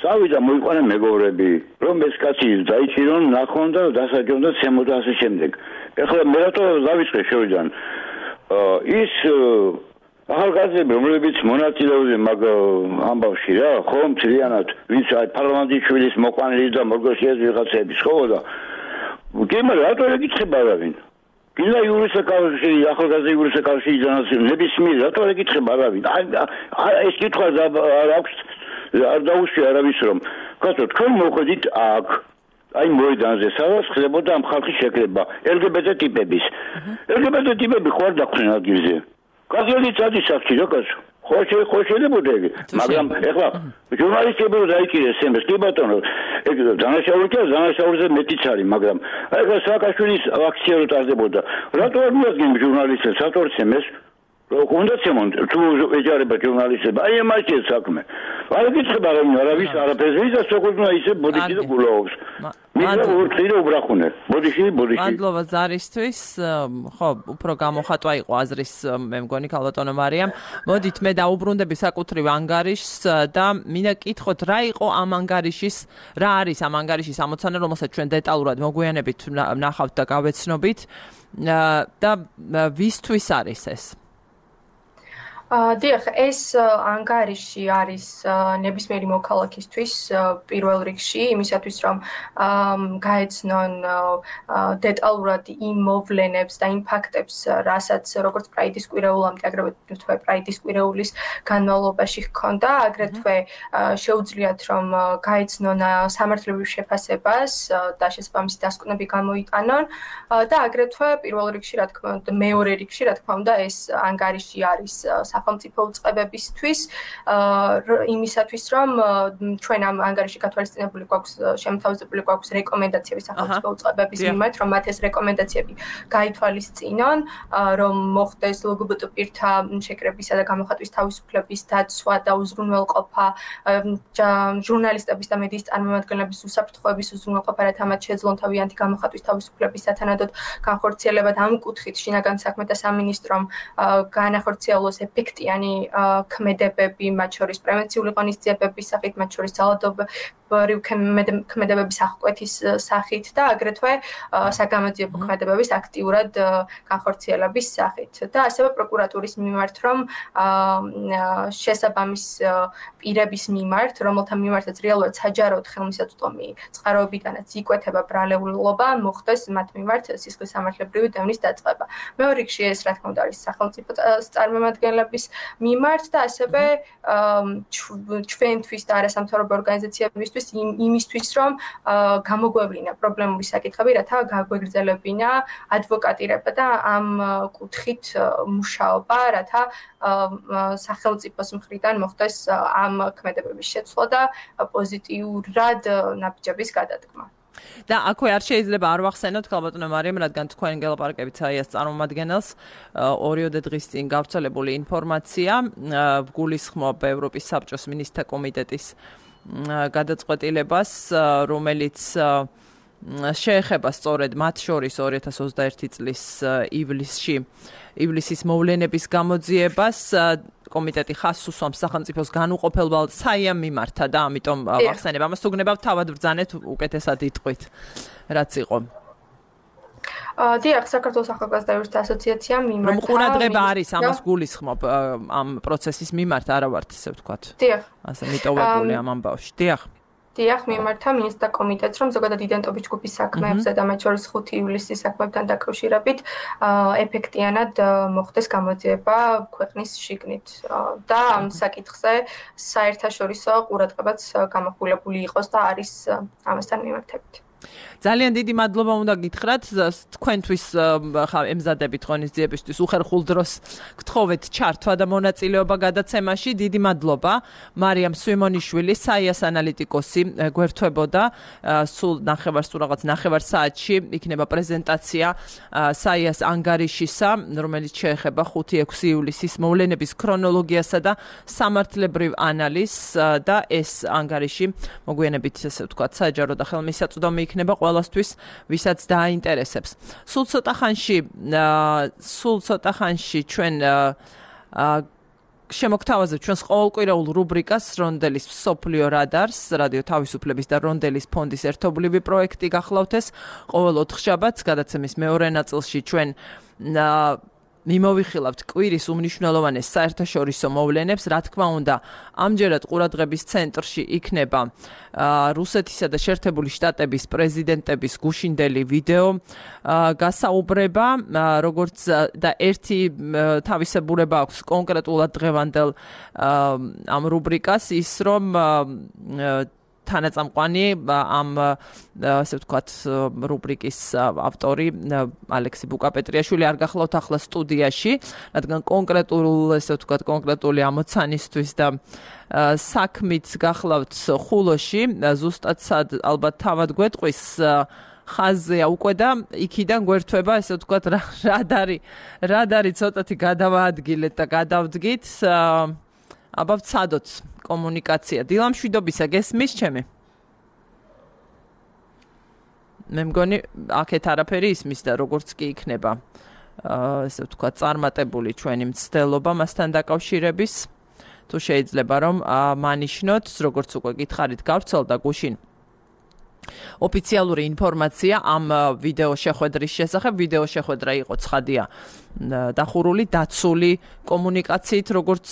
წავიდა მოიყვანა მეგობრები, რომ ეს კაცი დაიჭირონ, ნახონ და დასაჯონ და ცემოდა ასე შემდეგ. ეხლა მე რატო დავიწყე შევიდან. ის ახალგაზრდები, რომლებიც მონაწილეობდნენ მაგ ამბავში რა, ხომ მთლიანად, ვინც აი პარლამენტის შვილის მოყვანილი და მორგოშიას ვიღაცების ხო და კი მაგრამ რატო ეკითხება არავინ? კიდე იურისე კავშირი, ახალგაზრდა იურისე კავშირი ძანას ნებისმიერ რატო ეკითხება არავინ? აი ეს კითხვა არ აქვს არ დაუშვია არავის რომ კაცო თქვენ მოходით აქ აი მოედანზე სადაც ხდებოდა ამ ხალხის შეკრება ელ გი ბე ტე ტიპების. ელ გი ბე ტე ტიპები ხო არ დახვდნენ ადგილზე. კაცელი წადის აქ რა კაცო? ხო ხო შეიძლება იგი, მაგრამ ეხლა ჟურნალისტები რო დაიჭირეს εμეს, კი ბატონო, ეგ დანაშაული კი დანაშაულზე მეტიც არის, მაგრამ აი ეხლა სააკაშვილის აქცია რო ტარდებოდა, რატო არ მიადგენ ჟურნალისტებს, რატო არ ცემეს? რომ უნდა შემონ თუ ეჯარება ჟურნალისტები აი ამაში საქმე აი გიცხება რომ არავის არაფერს ვიზა სოკუზნა ისე ბოდიში და გულაობს მიდა ურთირო უბრახუნე ბოდიში ბოდიში მადლობა ზარისთვის ხო უფრო გამოხატვა იყო აზრის მე მგონი ქალბატონო მარიამ მოდით მე დაუბრუნდები საკუთრივ ანგარიშს და მინდა კითხოთ რა იყო ამ ანგარიშის რა არის ამ ანგარიშის ამოცანა რომელსაც ჩვენ დეტალურად მოგვიანებით ნახავთ და გავეცნობით და ვისთვის არის ეს დიახ, ეს ანგარიში არის ნებისმიერი მოქალაქისთვის პირველ რიგში, იმისათვის რომ გაეცნონ დეტალურად იმ მოვლენებს და იმ ფაქტებს, რასაც როგორც პრაიდის კვირეულამდე, აგრეთვე პრაიდის კვირეულის განმავლობაში ჰქონდა, აგრეთვე შეუძლიათ რომ გაეცნონ სამართლებრივ შეფასებას და შესაბამისი დასკვნები გამოიტანონ და აგრეთვე პირველ რიგში, რა თქმა უნდა, მეორე რიგში, რა თქმა უნდა, ეს ანგარიში არის სახელმწიფო უწყებებისთვის იმისათვის რომ ჩვენ ამ ანგარიში გათვალისწინებული გვაქვს შემოთავაზებული გვაქვს რეკომენდაციები სახელმწიფო უწყებების მიმართ რომ მათ ეს რეკომენდაციები გაითვალისწინონ რომ მოხდეს ლგბტ პირთა შეკრებისა და გამოხატვის თავისუფლების დაცვა და უზრუნველყოფა ჟურნალისტების და მედიის წარმომადგენლების უსაფრთხოების უზრუნველყოფა რათა მათ შეძლონ თავიანთი გამოხატვის თავისუფლების სათანადოდ განხორციელება და ამ კუთხით შინაგან საქმეთა სამინისტრომ განახორციელოს ეფექტიანი ქმედებები, მათ შორის პრევენციული ღონისძიებების სახით, მათ შორის ძალადობრივი ქმედებების აღკვეთის სახით და აგრეთვე საგამოძიებო ქმედებების აქტიურად განხორციელების სახით. და ასევე პროკურატურის მიმართ, რომ შესაბამის პირების მიმართ, რომელთა მიმართაც რეალურად საჯაროდ ხელმისაწვდომი წყაროებიდანაც იკვეთება ბრალეულობა, მოხდეს მათ მიმართ სისხლის სამართლებრივი დევნის დაწყება. მეორე რიგში ეს რა თქმა უნდა არის სახელმწიფო წარმომადგენლების მიმართ და ასევე ჩვენთვის და არასამთავრობო ორგანიზაციებისთვის იმისთვის რომ გამოგვევლინა პრობლემური საკითხები, რათა გაგვეგრძელებინა ადვოკატირება და ამ კუთხით მუშაობა, რათა სახელმწიფოს მხრიდან მოხდეს ამ ქმედებების შეცვლა და პოზიტიურად ნაბიჯების გადადგმა. და აქვე არ შეიძლება არ ვახსენოთ ქალბატონო მარიამ, რადგან თქვენ გელაპარაკებით საიას წარმომადგენელს ორიოდე დღის წინ გავრცელებული ინფორმაცია გულისხმობ ევროპის საბჭოს მინისტრთა კომიტეტის გადაწყვეტილებას, რომელიც შეეხება სწორედ მათ შორის ორი ათას ოცდაერთი წლის ივლისში ივლისის მოვლენების გამოძიებას კომიტეტი ხაზს უსვამს სახელმწიფოს განუყოფელობელ საიამ მიმართა და ამიტომ ვახსენებ ამას თუ გნებავთ თავად ბრძანეთ უკეთესად იტყვით რაც იყო დიახ, საქართველოს ახალგაზრდა ასოციაციამ მიმართა რომ ყურადღება არის ამას გულისხმობ ამ პროცესის მიმართ არა ვართ ესე ვთქვათ დიახ ასე მიტოვებული ამ ამბავში დიახ დიახ, მიმართა მინისტრთა კომიტეტს, რომ ზოგადად იდენტობის ჯგუფის საქმეებზე და მათ შორის ხუთი ივლისის საქმეებთან დაკავშირებით ეფექტიანად მოხდეს გამოძიება ქვეყნის შიგნით და ამ საკითხზე საერთაშორისო ყურადღებაც გამახვილებული იყოს და არის ამასთან მიმართებით. ძალიან დიდი მადლობა უნდა გითხრათ თქვენთვის ხა ემზადებით ღონისძიებისთვის უხერხულ დროს გთხოვეთ ჩართვა და მონაწილეობა გადაცემაში დიდი მადლობა მარიამ სვიმონიშვილი საიას ანალიტიკოსი გვერდთვებოდა სულ ნახევარ სულ რაღაც ნახევარ საათში იქნება პრეზენტაცია საიას ანგარიშისა რომელიც შეეხება ხუთი ექვსი ივლისის მოვლენების ქრონოლოგიასა და სამართლებრივ ანალიზს და ეს ანგარიში მოგვიანებით ესე ვთქვათ საჯარო და ხელმისაწვდომი იქნება ყველასთვის, ვისაც დააინტერესებს. სულ ცოტა ხანში, სულ ცოტა ხანში ჩვენ შემოგთავაზებთ ჩვენს ყოველკვირეულ რუბრიკას რონდელის მსოფლიო რადარს, რადიო თავისუფლების და რონდელის ფონდის ერთობლივი პროექტი გახლავთ ეს ყოველ ოთხშაბათს გადაცემის მეორე ნაწილში ჩვენ მიმოვიხილავთ კვირის უმნიშვნელოვანეს საერთაშორისო მოვლენებს, რა თქმა უნდა, ამჯერად ყურადღების ცენტრში იქნება რუსეთისა და შეერთებული შტატების პრეზიდენტების გუშინდელი ვიდეო გასაუბრება, როგორც და ერთი თავისებურება აქვს კონკრეტულად დღევანდელ ამ რუბრიკას ის რომ თანაწამყვანი ამ ასე ვთქვათ რუბრიკის ავტორი ალექსი ბუკაპეტრიაშვილი არ გახლავთ ახლა სტუდიაში, რადგან კონკრეტულ ასე ვთქვათ კონკრეტული ამოცანისთვის და საქმით გახლავთ ხულოში, ზუსტად ალბათ თავად გვეტყვის ხაზზეა უკვე და იქიდან გვერდება ესე ვთქვათ რად არის რად არის ცოტათი გადავაადგილეთ და გადავდგით აბა ვცადოთ კომუნიკაცია დილა მშვიდობისა გესმის ჩემი მე მგონი აქეთ არაფერი ისმის და როგორც კი იქნება ესე ვთქვათ წარმატებული ჩვენი მცდელობა მასთან დაკავშირების თუ შეიძლება რომ მანიშნოთ როგორც უკვე გითხარით გავრცელდა გუშინ ოფიციალური ინფორმაცია ამ ვიდეო შეხვედრის შესახებ ვიდეო შეხვედრა იყო ცხადია დახურული დაცული კომუნიკაციით როგორც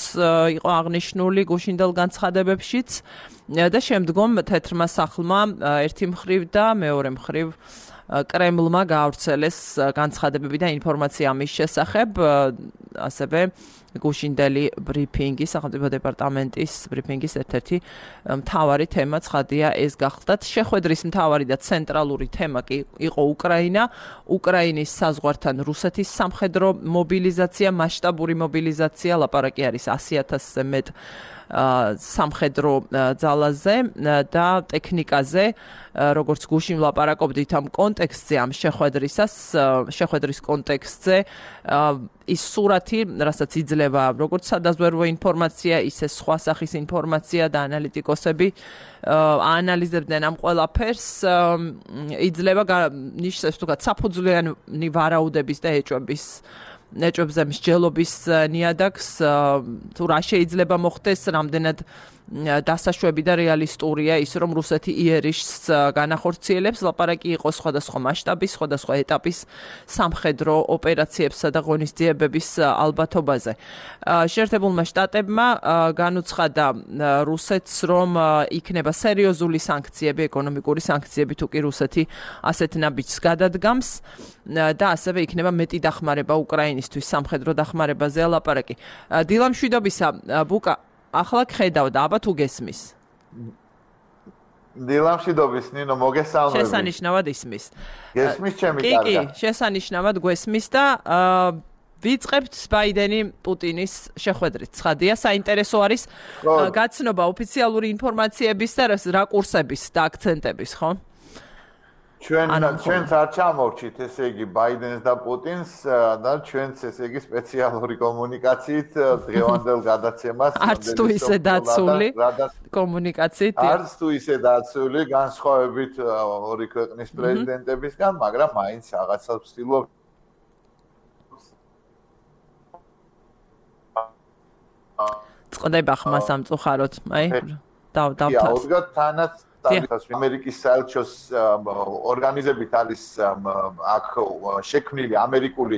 იყო აღნიშნული გუშინდელ განცხადებებშიც და შემდგომ თეთრმა სახლმა ერთი მხრივ და მეორე მხრივ კრემლმა გაავრცელეს განცხადებები და ინფორმაცია ამის შესახებ ასევე გუშინდელი ბრიფინგი სახელმწიფო დეპარტამენტის ბრიფინგის ერთ-ერთი მთავარი თემა ცხადია ეს გახლდათ შეხვედრის მთავარი და ცენტრალური თემა კი იყო უკრაინა უკრაინის საზღვართან რუსეთის სამხედრო მობილიზაცია მასშტაბური მობილიზაცია ლაპარაკი არის ასი ათასზე მეტ სამხედრო ძალაზე და ტექნიკაზე როგორც გუშინ ვლაპარაკობდით ამ კონტექსტზე ამ შეხვედრისას შეხვედრის კონტექსტზე ის სურათი რასაც იძლევა როგორც სადაზვერვო ინფორმაცია ისე სხვა სახის ინფორმაცია და ანალიტიკოსები აანალიზებდნენ ამ ყველაფერს იძლევა ნიშნავს თქო საფუძვლიანი ვარაუდების და ეჭვების ეჭვებზე მსჯელობის ნიადაგს თუ რა შეიძლება მოხდეს რამდენად დასაშვები და რეალისტურია ის რომ რუსეთი იერიშს განახორციელებს ლაპარაკი იყო სხვადასხვა მასშტაბის სხვადასხვა ეტაპის სამხედრო ოპერაციებსა და ღონისძიებების ალბათობაზე შეერთებულმა შტატებმა განუცხადა რუსეთს რომ იქნება სერიოზული სანქციები ეკონომიკური სანქციები თუ კი რუსეთი ასეთ ნაბიჯს გადადგამს და ასევე იქნება მეტი დახმარება უკრაინისთვის სამხედრო დახმარებაზე ლაპარაკი დილა მშვიდობისა ბუკა ახლა გხედავდა, აბა თუ გესმის. დილა მშვიდობის, ნინო, მოგესალმები. შესანიშნავად ისმის. გესმის ჩემი კარგა. კი, კი, შესანიშნავად გვესმის და ვიწყებთ ბაიდენი პუტინის შეხვედრით. ცხადია, საინტერესო არის გაცნობა ოფიციალური ინფორმაციების და რაკურსების და აქცენტების, ხო? ჩვენ ჩვენც არ ჩამოვჭით ესე იგი ბაიდენს და პუტინს და ჩვენც ესე იგი სპეციალური კომუნიკაციით დღევანდელ გადაცემას არც თუ ისე დაცული კომუნიკაციით არც თუ ისე დაცული განსხვავებით ორი ქვეყნის პრეზიდენტებისგან მაგრამ მაინც რაღაცას ვცდილობ წდება ხმა სამწუხაროდ აი და დავთავს და თანაც ამერიკის საელჩოს ორგანიზებით არის აქ შექმნილი ამერიკული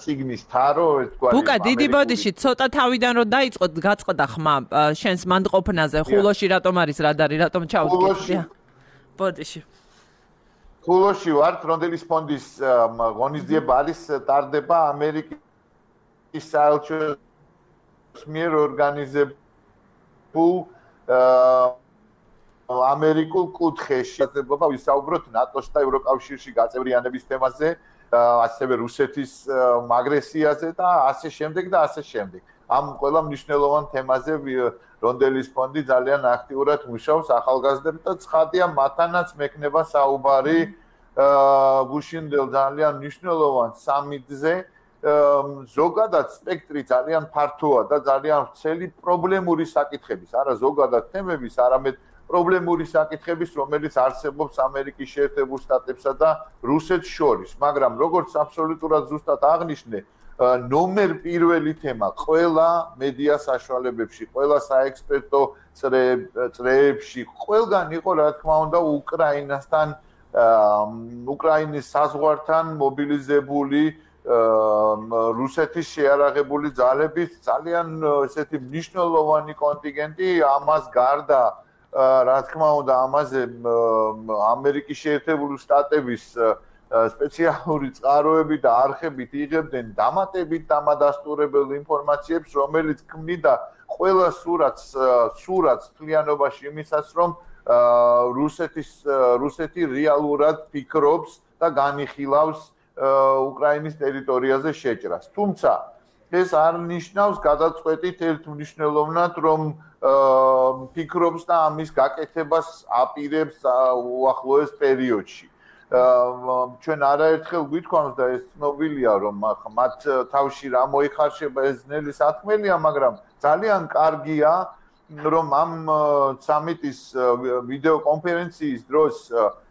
წიგნის თარო თქვა ბუკა დიდი ბოდიში ცოტა თავიდან რომ დაიწყოთ გაწყდა ხმა შენს მანდყოფნაზე ხულოში რატომ არის რადარი რატომ ჩავდგეთ ბოდიში ხულოში ვარ ტრონდელის ფონდის ღონისძიება არის ტარდება ამერიკის საელჩოს მიერ ორგანიზებულ ამერიკულ კუთხეში აზრბობა ვისაუბროთ ნატოს და ევროკავშირში გაწევრიანების თემაზე, ასევე რუსეთის აგრესიაზე და ასე შემდეგ და ასე შემდეგ. ამ ყველა მნიშვნელოვან თემაზე რონდელის ფონდი ძალიან აქტიურად მუშაობს ახალგაზრდებს და ცხადია მათანაც მექნება საუბარი გუშინდელ ძალიან მნიშვნელოვან სამიტზე ზოგადად სპექტრი ძალიან ფართოა და ძალიან ვრცელი პრობლემური საკითხების, არა ზოგადად თემების, არამედ პრობლემური საკითხების, რომელიც არსებობს ამერიკის შეერთებულ შტატებსა და რუსეთს შორის, მაგრამ როგორც აბსოლუტურად ზუსტად აღნიშნე, ნომერ პირველი თემა ყველა მედია საშუალებებში, ყველა საექსპერტო წრეებში, ყველგან იყო რა თქმა უნდა უკრაინასთან, უკრაინის საზღვართან მობილიზებული რუსეთის შეარაღებული ძალების ძალიან ესეთი მნიშვნელოვანი კონტინგენტი, ამას გარდა რა თქმა უნდა ამაზე ამერიკის შეერთებული შტატების სპეციალური წყაროები და არხებით იღებდნენ დამატებით დამადასტურებელ ინფორმაციებს, რომელიც ქმნიდა ყველა სურათს სურათს თლიანობაში იმისას, რომ რუსეთის რუსეთი რეალურად ფიქრობს და განიხილავს უკრაინის ტერიტორიაზე შეჭრას. თუმცა ეს არ ნიშნავს გადაწყვეტით ერთ მნიშვნელოვნად, რომ ფიქრობს და ამის გაკეთებას აპირებს უახლოეს პერიოდში. ჩვენ არაერთხელ გვითხოვს და ეს ცნობილია რომ მათ თავში რა მოიხარშება ეს ძნელი საქმეა, მაგრამ ძალიან კარგია რომ ამ სამიტის ვიდეო კონფერენციის დროს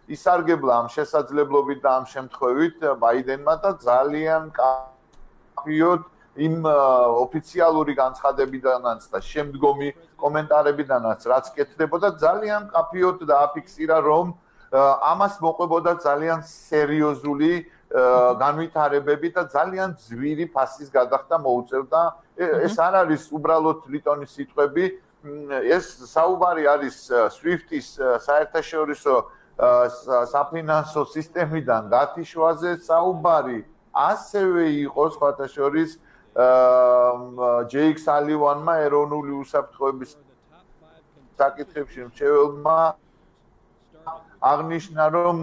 ისარგებლა ამ შესაძლებლობით და ამ შემთხვევით ბაიდენმა და ძალიან კაფიოდ იმ ოფიციალური განცხადებიდანაც და შემდგომი კომენტარებიდანაც რაც კეთდებოდა ძალიან კაფიოდ დააფიქსირა რომ ამას მოყვებოდა ძალიან სერიოზული განვითარებები და ძალიან ძვირი ფასის გადახდა მოუწევდა ეს არ არის უბრალოდ ლიტონის სიტყვები ეს საუბარი არის SWIFT-ის საერთაშორისო საფინანსო სისტემიდან გათიშვაზე საუბარი ასევე იყო სხვათა შორის ჯეიკ სალივანმა ეროვნული უსაფრთხოების საკითხებში მრჩეველმა აღნიშნა რომ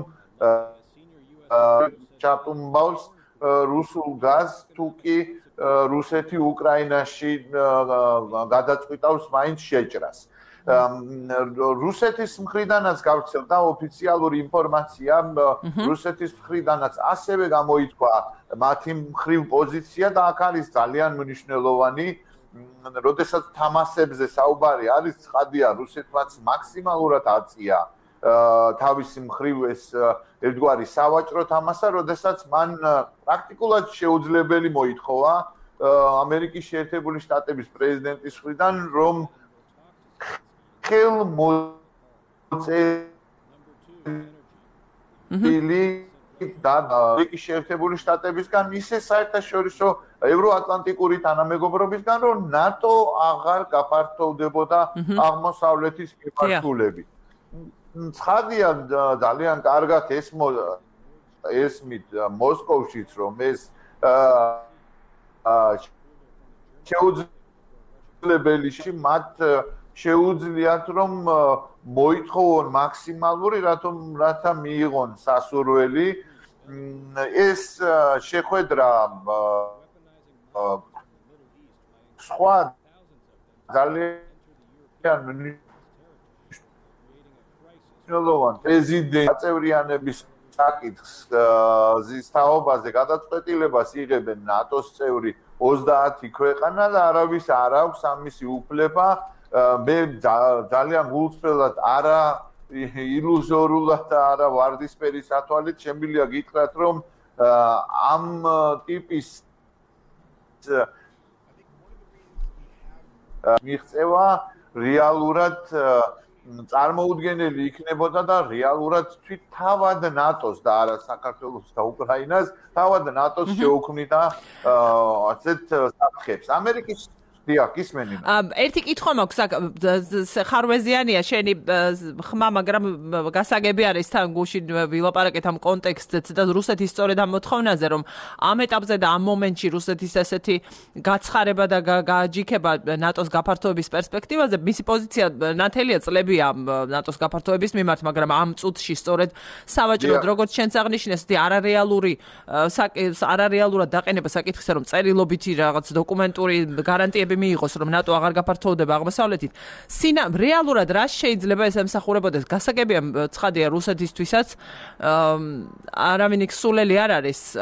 ჩატუმბავს რუსულ გაზს თუ კი რუსეთი უკრაინაში გადაწყვიტავს მაინც შეჭრას. რუსეთის მხრიდანაც გავრცელდა ოფიციალური ინფორმაცია, რუსეთის მხრიდანაც ასევე გამოითქვა მათი მხრივ პოზიცია და აქ არის ძალიან მნიშვნელოვანი, როდესაც თამასებზე საუბარი არის, ცხადია, რუსეთმაც მაქსიმალურად აწია თავისი მხრივ ეს ერთგვარი სავაჭრო თამასა, როდესაც მან პრაქტიკულად შეუძლებელი მოითხოვა ამერიკის შეერთებული შტატების პრეზიდენტის მხრიდან, რომ ხელმოწერილი და ამერიკის შეერთებული შტატებისგან ისე საერთაშორისო ევროატლანტიკური თანამეგობრობისგან, რომ ნატო აღარ გაფართოვდებოდა აღმოსავლეთის მიმართულებით. ცხადია ძალიან კარგად ესმო ესმით მოსკოვშიც რომ ეს შეუძლებელში მათ შეუძლიათ რომ მოითხოვონ მაქსიმალური რატომ რათა მიიღონ სასურველი ეს შეხვედრა სხვა ძალიან ნოლოვან პრეზიდენტ აწევრიანების საკითხს ზის თაობაზე გადაწყვეტილებას იღებენ ნატოს წევრი ოცდაათი ქვეყანა და არავის არ აქვს ამისი უფლება მე ძალიან გულწრფელად არა ილუზორულად და არა ვარდისფერი სათვალით შემიძლია გითხრათ რომ ამ ტიპის მიღწევა რეალურად წარმოუდგენელი იქნებოდა და რეალურად თვით თავად ნატოს და არა საქართველოს და უკრაინას თავად ნატოს შეუქმნიდა ასეთ საფრთხებს. ამერიკის დიახ, ისმენინა. ერთი კითხვა მაქვს, ხარვეზიანია შენი ხმა, მაგრამ გასაგები არის თან გუშინ ვილაპარაკეთ ამ კონტექსტზეც და რუსეთის სწორედ ამ მოთხოვნაზე, რომ ამ ეტაპზე და ამ მომენტში რუსეთის ესეთი გაცხარება და გააჯიქება ნატოს გაფართოების პერსპექტივაზე, მისი პოზიცია ნათელია წლებია ნატოს გაფართოების მიმართ, მაგრამ ამ წუთში სწორედ სავაჭროდ, როგორც შენც აღნიშნეს, არარეალური არარეალურად დაყენება საკითხისა, რომ წერილობითი რაღაც დოკუმენტური გარანტიები მიიღოს რომ ნატო აღარ გაფართოვდება აღმოსავლეთით. სინა რეალურად რა შეიძლება ეს ემსახურებოდეს? გასაგებია ცხადია რუსეთისთვისაც არავინ სულელი არ არის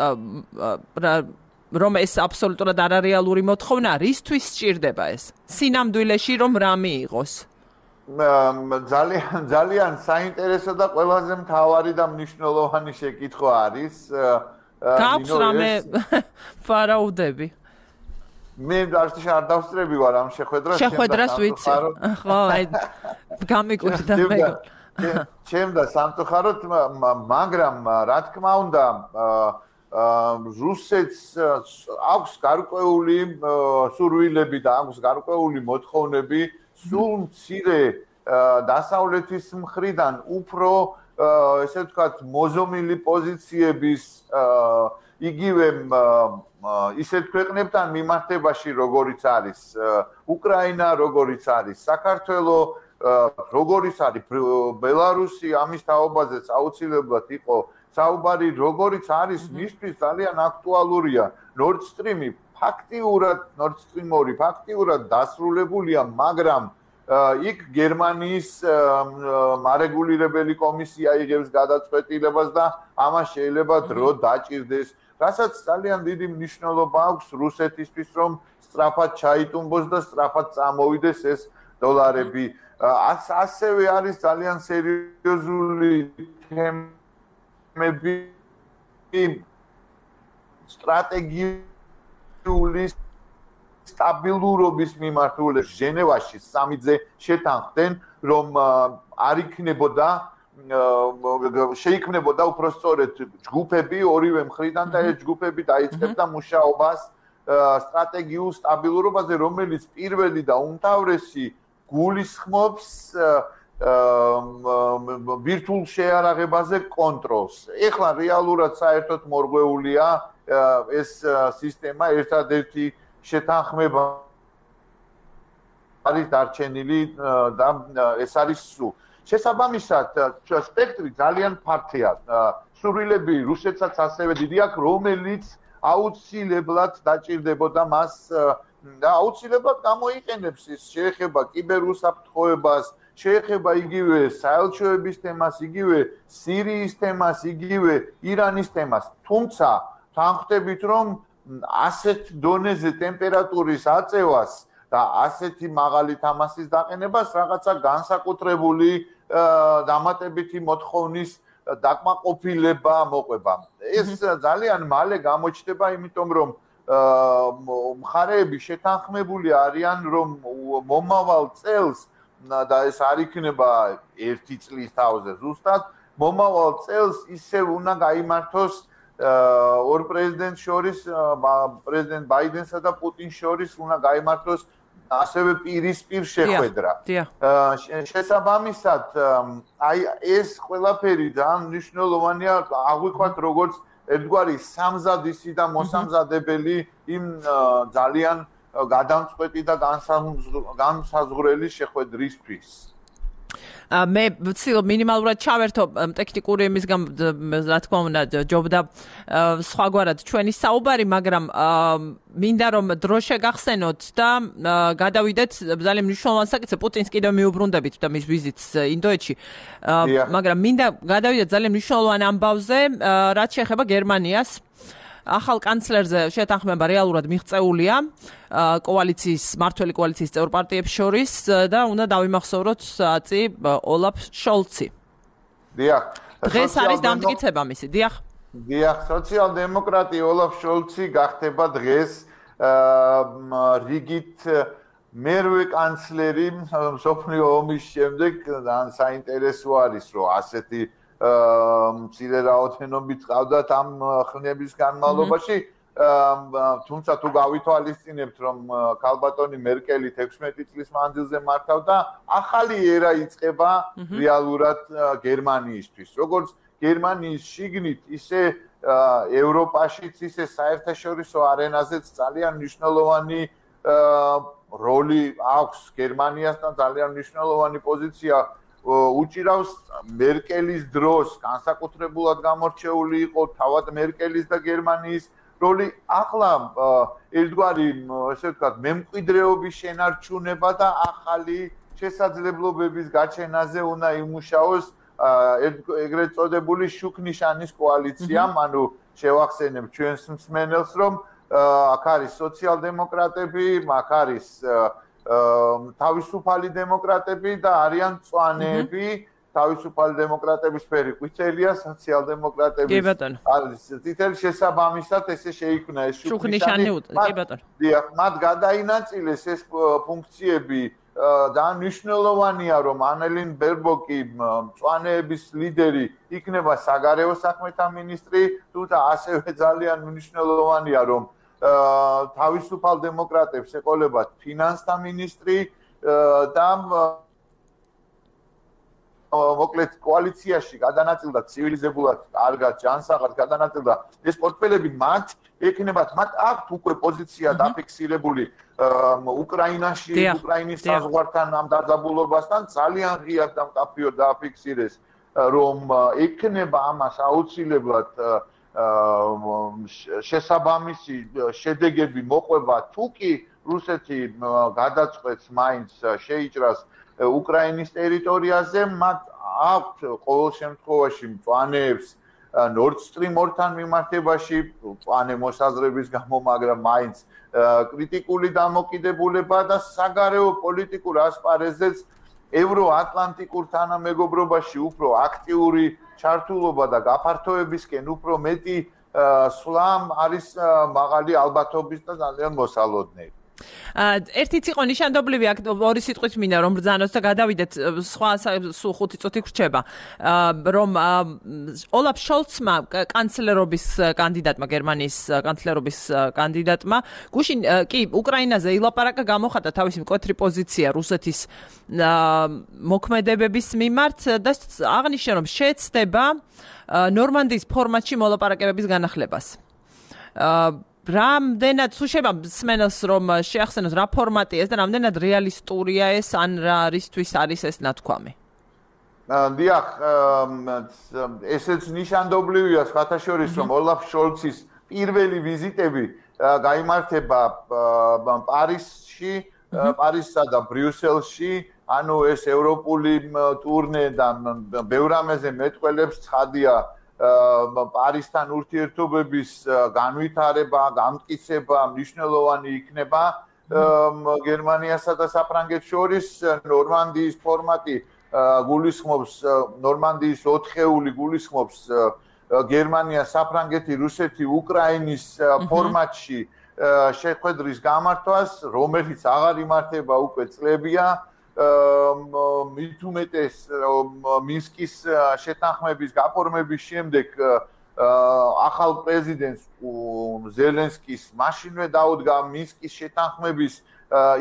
რომ ეს აბსოლუტურად არარეალური მოთხოვნა რისთვის სჭირდება ეს? სინამდვილეში რომ რა მიიღოს? ძალიან ძალიან საინტერესო და ყველაზე მთავარი და მნიშვნელოვანი შეკითხვა არის. გაქვს რამე ვარაუდები? მე არც არ დავსწრები ვარ ამ შეხვედრას. შეხვედრას ვიცი. ხო, აი გამიკვირდა მე. ჩემდა სამწუხაროდ, მაგრამ რა თქმა უნდა, რუსეთს აქვს გარკვეული სურვილები და აქვს გარკვეული მოთხოვნები სულ მცირე დასავლეთის მხრიდან უფრო ესე ვთქვათ მოზომილი პოზიციების იგივე ისეთ ქვეყნებთან მიმართებაში როგორიც არის უკრაინა, როგორიც არის საქართველო, როგორიც არის ბელარუსი, ამის თაობაზეც აუცილებლად იყო საუბარი, როგორიც არის მისთვის ძალიან აქტუალურია Nord Stream-ი ფაქტიურად Nord Stream ორი ფაქტიურად დასრულებულია, მაგრამ იქ გერმანიის მარეგულირებელი კომისია იღებს გადაწყვეტილებას და ამას შეიძლება დრო დაჭირდეს, რასაც ძალიან დიდი მნიშვნელობა აქვს რუსეთისთვის, რომ სწრაფად ჩაიტუმბოს და სწრაფად წამოვიდეს ეს დოლარები. ასევე არის ძალიან სერიოზული თემები სტრატეგიული სტაბილურობის მიმართულებით ჟენევაში სამიძე შეთანხმდნენ, რომ არ იქნებოდა შეიქმნებოდა უпростоრეთ ჯგუფები ორივე მხრიდან და ეს ჯგუფები დაიწყებდა მუშაობას სტრატეგიულ სტაბილურობაზე, რომელიც პირველი და უმთავრესი გულისხმობს ბირთვულ შეარაღებაზე კონტროლს. ეხლა რეალურად საერთოდ მორღვეულია ეს სისტემა, ერთადერთი შეთანხმება არის დარჩენილი და ეს არის სულ. შესაბამისად, სპექტრი ძალიან ფართია. სურვილები რუსეთსაც ასევე დიდი აქვს, რომელიც აუცილებლად დაჭირდებოდა მას და აუცილებლად გამოიყენებს ის შეეხება კიბერუსაფრთხოებას, შეეხება იგივე საელჩოების თემას, იგივე სირიის თემას, იგივე ირანის თემას. თუმცა თანხმდებით, რომ ასეთ დონეზე ტემპერატურის აწევას და ასეთი მაღალი თამასის დაყენებას რაღაცა განსაკუთრებული დამატებითი მოთხოვნის დაკმაყოფილება მოყვება. ეს ძალიან მალე გამოჩნდება, იმიტომ რომ მხარეები შეთანხმებული არიან, რომ მომავალ წელს და ეს არ იქნება ერთი წლის თავზე ზუსტად, მომავალ წელს ისევ უნდა გაიმართოს ორ პრეზიდენტს შორის, პრეზიდენტ ბაიდენსა და პუტინს შორის უნდა გაიმართოს ასევე პირისპირ შეხვედრა. შესაბამისად, აი ეს ყველაფერი ძალიან მნიშვნელოვანია, აღვიქვათ როგორც ერთგვარი სამზადისი და მოსამზადებელი იმ ძალიან გადამწყვეტი და განსაზღვრელი შეხვედრისთვის. მე ვცდილობ მინიმალურად ჩავერთო ტექნიკური იმის გამო, რა თქმა უნდა, ჯობდა სხვაგვარად ჩვენი საუბარი, მაგრამ მინდა რომ დრო შეგახსენოთ და გადავიდეთ ძალიან მნიშვნელოვან საკითხზე. პუტინს კიდევ მიუბრუნდებით და მის ვიზიტს ინდოეთში. მაგრამ მინდა გადავიდეთ ძალიან მნიშვნელოვან ამბავზე, რაც შეეხება გერმანიას. ახალ კანცლერზე შეთანხმება რეალურად მიღწეულია კოალიციის მართველი კოალიციის წევრ პარტიებს შორის და უნდა დავიმახსოვროთ აწი ოლაფ შოლცი. დიახ. დღეს არის დამტკიცება მისი. დიახ. დიახ, სოციალ-დემოკრატი ოლაფ შოლცი გახდება დღეს რიგით მერვე კანცლერი მსოფლიო ომის შემდეგ. ძალიან საინტერესო არის, რომ ასეთი მცირე რაოდენობით ყავდათ ამ ხნების განმავლობაში, თუმცა თუ გავითვალისწინებთ, რომ ქალბატონი მერკელი ექვსმეტი წლის მანძილზე მართავდა, ახალი ერა იწყება რეალურად გერმანიისთვის. როგორც გერმანიის შიგნით, ისე ევროპაშიც, ისე საერთაშორისო არენაზეც ძალიან მნიშვნელოვანი როლი აქვს გერმანიას და ძალიან მნიშვნელოვანი პოზიცია უჭირავს მერკელის დროს, განსაკუთრებულად გამორჩეული იყო თავად მერკელის და გერმანიის როლი. ახლა ერთგვარი, ესე ვთქვათ, მემკვიდრეობის შენარჩუნება და ახალი შესაძლებლობების გაჩენაზე უნდა იმუშაოს ეგრეთ წოდებული შუქნიშანის კოალიციამ, ანუ შევახსენებ ჩვენს მსმენელს, რომ აქ არის სოციალ-დემოკრატები, აქ არის თავისუფალი დემოკრატები და არიან მწვანეები. თავისუფალი დემოკრატების ფერი ყვითელია, სოციალ-დემოკრატების არის წითელი. შესაბამისად ესე შეიქმნა ეს შუქნიშანი. კი ბატონო. დიახ, მათ გადაინაწილეს ეს ფუნქციები. ძალიან მნიშვნელოვანია, რომ ანელინ ბერბოკი, მწვანეების ლიდერი, იქნება საგარეო საქმეთა მინისტრი, თუმცა ასევე ძალიან მნიშვნელოვანია, რომ თავისუფალ დემოკრატებს ეყოლებათ ფინანსთა მინისტრი და მოკლედ კოალიციაში გადანაწილდა ცივილიზებულად კარგად ჯანსაღად გადანაწილდა ეს პორტფელები მათ ექნებათ, მათ აქვთ უკვე პოზიცია დაფიქსირებული უკრაინაში, უკრაინის საზღვართან ამ დაძაბულობასთან ძალიან ღიად და მკაფიოდ დააფიქსირეს, რომ ექნება ამას აუცილებლად შესაბამისი შედეგები მოყვება, თუ კი რუსეთი გადაწყვეტს მაინც შეიჭრას უკრაინის ტერიტორიაზე, მათ აქვთ ყოველ შემთხვევაში მწვანეებს Nord Stream ორთან მიმართებაში, მწვანე მოსაზრების გამო, მაგრამ მაინც კრიტიკული დამოკიდებულება და საგარეო პოლიტიკურ ასპარეზზეც ევროატლანტიკურ თანამეგობრობაში უფრო აქტიური ჩართულობა და გაფართოებისკენ უფრო მეტი სვლამ არის მაღალი ალბათობის და ძალიან მოსალოდნელი. ერთიც იყო ნიშანდობლივი აქ ორი სიტყვით მინდა რომ ბრძანოთ და გადავიდეთ სხვა სულ ხუთი წუთი ხრჩება რომ ოლაფ შოლცმა კანცლერობის კანდიდატმა გერმანიის კანცლერობის კანდიდატმა გუშინ კი უკრაინაზე ილაპარაკა გამოხატა თავისი მკვეთრი პოზიცია რუსეთის მოქმედებების მიმართ და აღნიშნა რომ შეეცდება ნორმანდიის ფორმატში მოლაპარაკებების განახლებას რამდენად სუშება სმენელს რომ შეახსენოს რა ფორმატია ეს და რამდენად რეალისტურია ეს ან რა რისთვის არის ეს ნათქვამი? დიახ, ესეც ნიშანდობლივია სხვათა შორის რომ ოლაფ შოლცის პირველი ვიზიტები გაიმართება პარიზში, პარიზსა და ბრიუსელში, ანუ ეს ევროპული ტურნე და ბევრ რამეზე მეტყველებს ცხადია პარიზთან ურთიერთობების განვითარება, გამტკიცება მნიშვნელოვანი იქნება გერმანიასა და საფრანგეთს შორის ნორმანდიის ფორმატი გულისხმობს ნორმანდიის ოთხეული გულისხმობს გერმანია, საფრანგეთი, რუსეთი, უკრაინის ფორმატში შეხვედრის გამართვას, რომელიც აღარ იმართება უკვე წლებია მით უმეტეს მინსკის შეთანხმების გაფორმების შემდეგ ახალ პრეზიდენტს ზელენსკის მაშინვე დაუდგა მინსკის შეთანხმების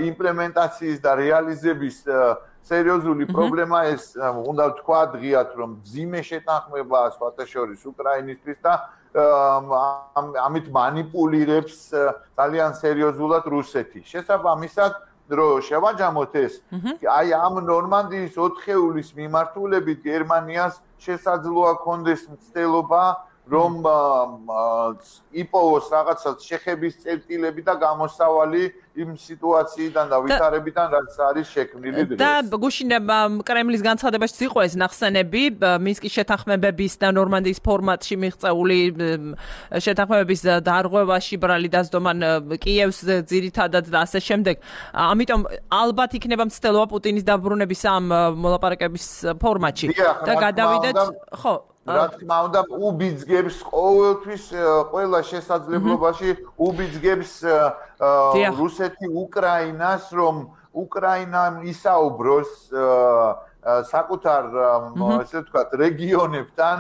იმპლემენტაციის და რეალიზების სერიოზული პრობლემა ეს უნდა ვთქვა დღიათ რომ მძიმე შეთანხმებაა სხვათა შორის უკრაინისთვის და ამით მანიპულირებს ძალიან სერიოზულად რუსეთი. შესაბამისად რო შევაჯამოთ ეს აი ამ ნორმანდიის ოთხეულის მიმართულებით გერმანიას შესაძლოა კონდეს მცდელობა რომ იპოვოს რაღაცა შეხების წერტილები და გამოსავალი იმ სიტუაციიდან და ვითარებიდან რაც არის შექმნილი დღეს. და გუშინ კრემლის განცხადებაში იყო ეს ნახსენები მინსკის შეთანხმებების და ნორმანდიის ფორმატში მიღწეული შეთანხმებების დარღვევაში ბრალი დასდომან კიევს ძირითადად და ასე შემდეგ. ამიტომ ალბათ იქნება მცდელობა პუტინის დაბრუნების ამ მოლაპარაკების ფორმატში და გადავიდეთ ხო რა თქმა უნდა უბიძგებს ყოველთვის ყველა შესაძლებლობაში უბიძგებს რუსეთი უკრაინას რომ უკრაინა ისაუბროს საკუთარ ესე ვთქვათ რეგიონებთან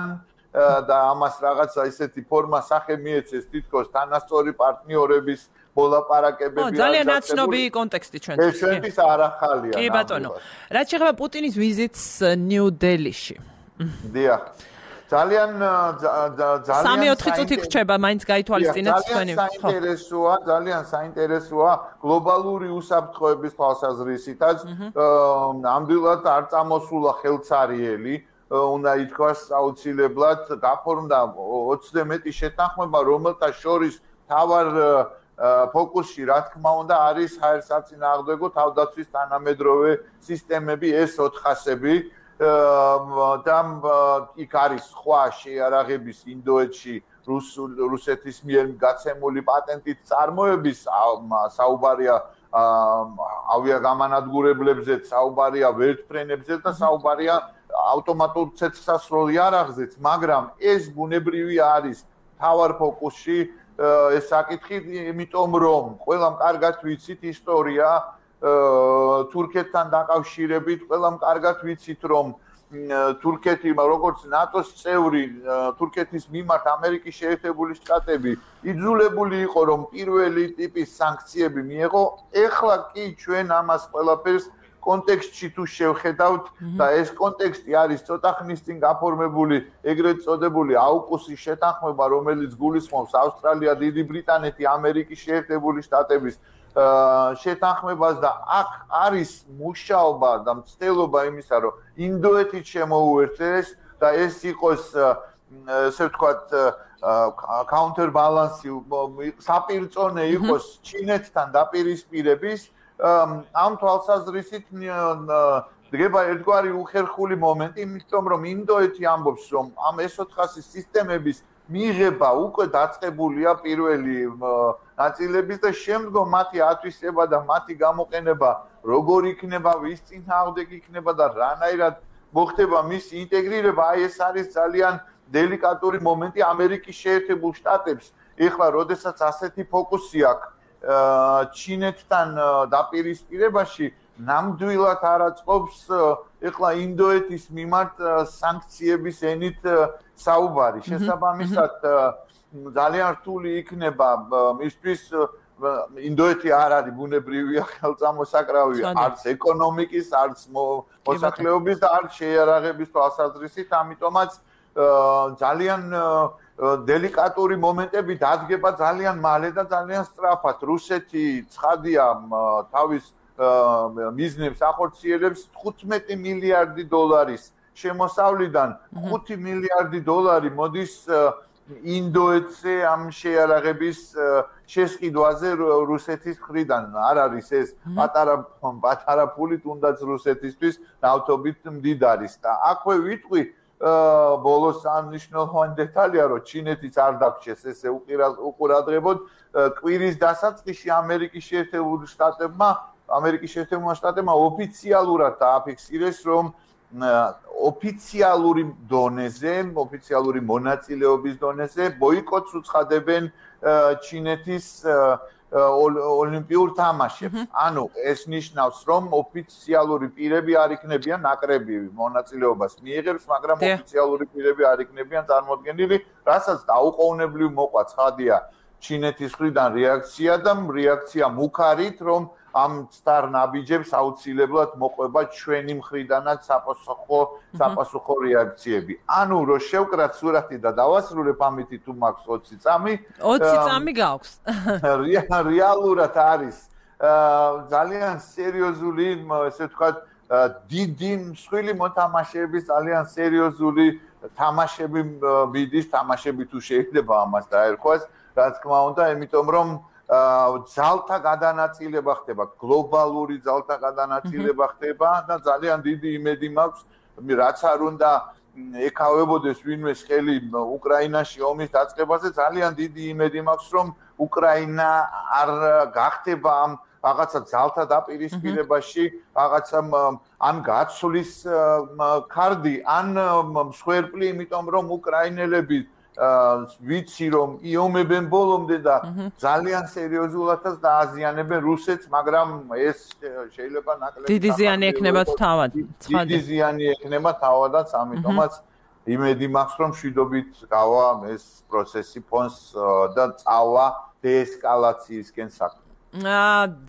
და ამას რაღაცა ისეთი ფორმა სახე მიეცეს თითქოს თანასწორი პარტნიორების მოლაპარაკებები ძალიან ნაცნობი კონტექსტი ჩვენთვის ეს ჩვენთვის არ ახალია კი ბატონო რაც შეეხება პუტინის ვიზიტს ნიუ-დელიში დიახ ძალიან ძალიან სამი-ოთხი წუთი ხრჩება მაინც გაითვალისწინეთ თქვენი ხო საინტერესოა ძალიან საინტერესოა გლობალური უსაფრთხოების თვალსაზრისითაც ნამდვილად არ წამოსულა ხელცარიელი უნდა ითქვას აუცილებლად გაფორმდა ოცდე მეტი შეთანხმება რომელთა შორის თავარ ფოკუსში რა თქმა უნდა არის ჰაერსაწინააღმდეგო თავდაცვის თანამედროვე სისტემები ეს ოთხასები და იქ არის სხვა შეიარაღების ინდოეთში რუსეთის მიერ გაცემული პატენტით წარმოების საუბარია ავიაგამანადგურებლებზე, საუბარია ვერტმფრენებზე და საუბარია ავტომატურ ცეცხლსასროლ იარაღზეც, მაგრამ ეს ბუნებრივი არის თავარ ფოკუსში ეს საკითხი, იმიტომ რომ ყველამ კარგად ვიცით ისტორია თურქეთთან დაკავშირებით, ყველამ კარგად ვიცით რომ თურქეთი როგორც ნატოს წევრი თურქეთის მიმართ ამერიკის შეერთებული შტატები იძულებული იყო რომ პირველი ტიპის სანქციები მიეღო. ეხლა კი ჩვენ ამას ყველაფერს კონტექსტში თუ შევხედავთ და ეს კონტექსტი არის ცოტა ხნის წინ გაფორმებული ეგრეთ წოდებული აუკუსის შეთანხმება, რომელიც გულისხმობს ავსტრალია, დიდი ბრიტანეთი, ამერიკის შეერთებული შტატების შეთანხმებას და აქ არის მუშაობა და მცდელობა იმისა, რომ ინდოეთით შემოუერთდეს და ეს იყოს ესე ვთქვათ counterbalance საპირწონე იყოს ჩინეთთან დაპირისპირების ამ თვალსაზრისით დგება ერთგვარი უხერხული მომენტი, იმიტომ რომ ინდოეთი ამბობს, რომ ამ ეს ოთხასი სისტემების მიღება უკვე დაწყებულია პირველი ნაწილების და შემდგომ მათი ათვისება და მათი გამოყენება როგორ იქნება, ვის წინააღმდეგ იქნება და რანაირად მოხდება მის ინტეგრირება, აი ეს არის ძალიან დელიკატური მომენტი ამერიკის შეერთებულ შტატებს. ეხლა როდესაც ასეთი ფოკუსი აქვს ჩინეთთან დაპირისპირებაში, ნამდვილად არ აწყობს ეხლა ინდოეთის მიმართ სანქციების ენით საუბარი. შესაბამისად ძალიან რთული იქნება მისთვის ინდოეთი არ არის ბუნებრივია ხელწამოსაკრავი არც ეკონომიკის, არც მოსახლეობის და არც შეიარაღების თვალსაზრისით, ამიტომაც ძალიან დელიკატური მომენტები დადგება ძალიან მალე და ძალიან სწრაფად. რუსეთი ცხადია თავის მიზნებს ახორციელებს თხუთმეტი მილიარდი დოლარის შემოსავლიდან ხუთი მილიარდი დოლარი მოდის ინდოეთზე ამ შეიარაღების შესყიდვაზე რუსეთის მხრიდან. არ არის ეს პატარა პატარა ფული თუნდაც რუსეთისთვის ნავთობით მდიდარის და აქვე ვიტყვი ბოლოს ამ მნიშვნელოვანი დეტალია, რომ ჩინეთიც არ დაგჭეს ესე უყურადღებოდ კვირის დასაწყისში ამერიკის შეერთებული შტატებმა ამერიკის შეერთებულმა შტატებმა ოფიციალურად დააფიქსირეს, რომ ოფიციალური დონეზე, ოფიციალური მონაწილეობის დონეზე ბოიკოტს უცხადებენ ჩინეთის ოლიმპიურ თამაშებს. ანუ ეს ნიშნავს, რომ ოფიციალური პირები არ იქნებიან ნაკრები მონაწილეობას მიიღებს, მაგრამ ოფიციალური პირები არ იქნებიან წარმოდგენილი, რასაც დაუყოვნებლივ მოყვა ცხადია ჩინეთის მხრიდან რეაქცია და რეაქცია მუქარით, რომ ამ სტარ ნაბიჯებს აუცილებლად მოყვება ჩვენი მხრიდანაც საპასუხო საპასუხო რეაქციები. ანუ რო შევკრათ სურათი და დავასრულებ ამით თუ მაქვს ოცი წამი. ოცი წამი გაქვს. რეალურად არის ძალიან სერიოზული, ესე ვთქვათ, დიდი მსხვილი მოთამაშეების ძალიან სერიოზული თამაშები მიდის, თამაშები თუ შეიძლება ამას დაერქვას, რა თქმა უნდა, იმიტომ რომ ძალთა გადანაწილება ხდება, გლობალური ძალთა გადანაწილება ხდება და ძალიან დიდი იმედი მაქვს, რაც არ უნდა ეკავებოდეს ვინმეს ხელი უკრაინაში ომის დაწყებაზე, ძალიან დიდი იმედი მაქვს, რომ უკრაინა არ გახდება ამ რაღაცა ძალთა დაპირისპირებაში, რაღაცა ან გაცვლის ქარდი, ან მსხვერპლი, იმიტომ რომ უკრაინელები ვიცი რომ იომებენ ბოლომდე და ძალიან სერიოზულადაც დააზიანებენ რუსეთს, მაგრამ ეს შეიძლება ნაკლები დიდი ზიანი ექნება თავად. დიდი ზიანი ექნება თავადაც, ამიტომაც იმედი მაქვს რომ მშვიდობით გავა ეს პროცესი ფონს და წავა დეესკალაციისკენ საქმე.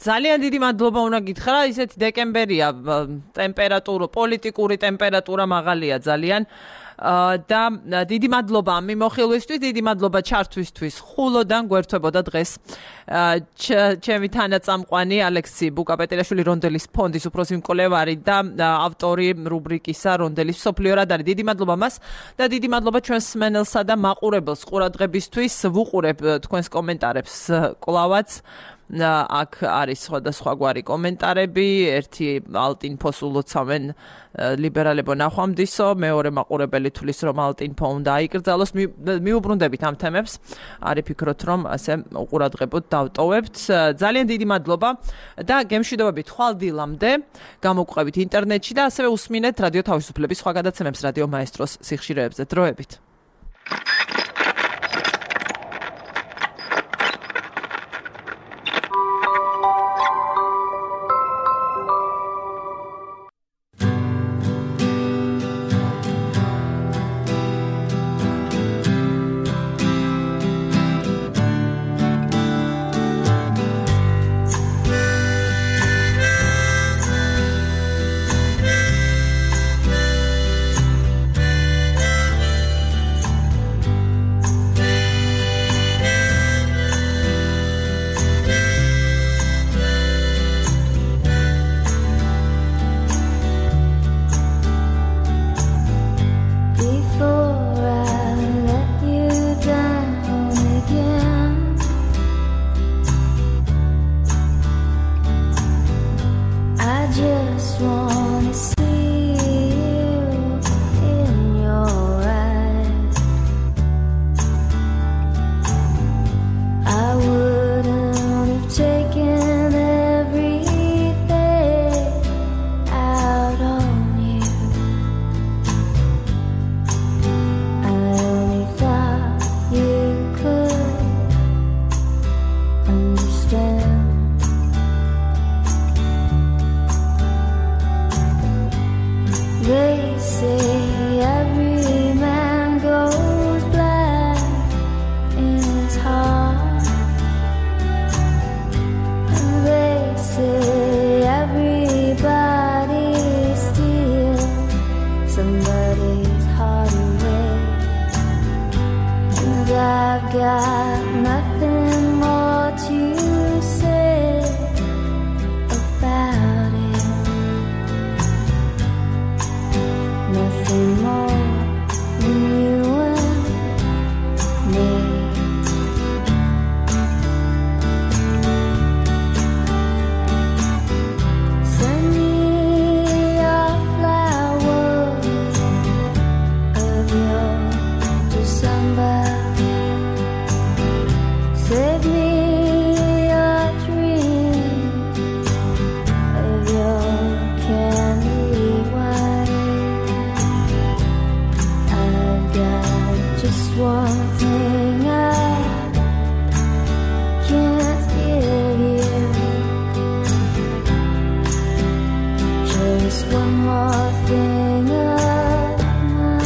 ძალიან დიდი მადლობა უნდა გითხრა, ისეთი დეკემბერია, ტემპერატურა, პოლიტიკური ტემპერატურა მაღალია ძალიან. და დიდი მადლობა მიმოხილვისთვის, დიდი მადლობა ჩართვისთვის. ხულოდან გვერდთვებოდა დღეს ჩემი თანაწამყვანი ალექსი ბუკაპეტელიაშვილი რონდელის ფონდის უფროსი მკვლევარი და ავტორი რუბრიკისა რონდელის მსოფლიო რადარი. დიდი მადლობა მას და დიდი მადლობა ჩვენს მსმენელსა და მაყურებელს ყურადღებისთვის. ვუყურებ თქვენს კომენტარებს კლავაც. აქ არის სხვადასხვაგვარი კომენტარები, ერთი ალტინფოს ულოცავენ ლიბერალებო ნახვამდისო, მეორე მაყურებელი თulis რომ ალტინფო უნდა აიკრძალოს. მიუბრუნდებით ამ თემებს, არის ფიქრობთ რომ ასე უყურადღებოდ დავტოვებთ. ძალიან დიდი მადლობა და გემშვიდობებით ხვალ დილამდე, გამოგყვებით ინტერნეტში და ასევე უსმინეთ რადიო თავისუფლების სხვა გადაცემებს რადიო მაესტროს სიხშირეებზე. დროებით. just one more thing of mine.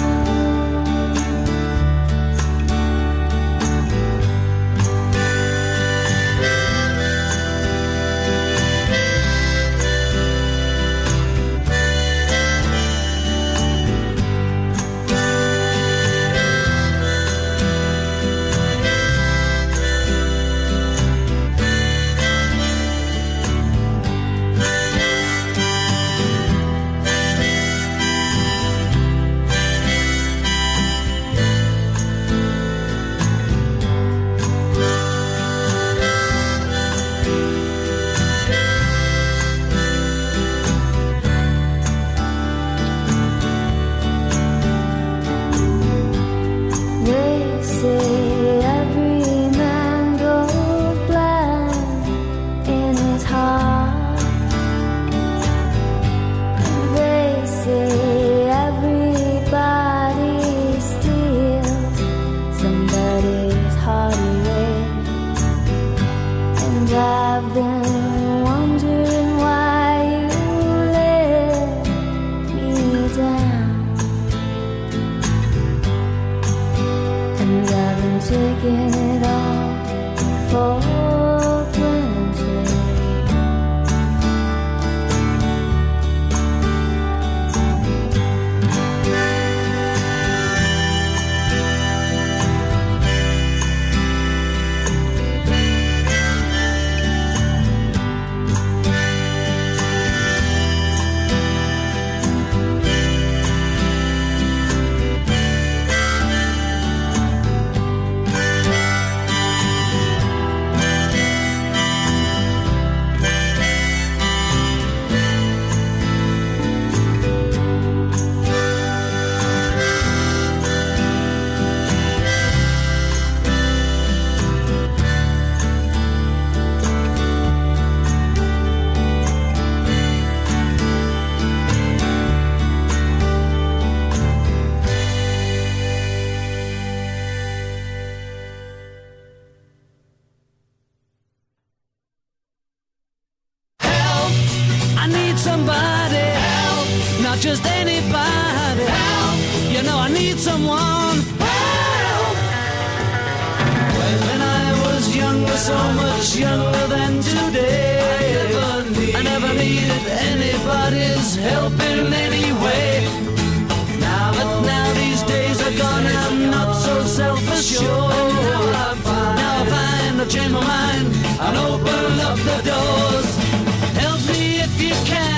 Somebody help, not just anybody help. You know I need someone help. When I was younger, so much younger than today, I never, need, I never needed anybody's help in any way. Now that now these days are gone, I'm not so self-assured. Now I find, now I find I've changed my mind and open up the doors. Help me if you can.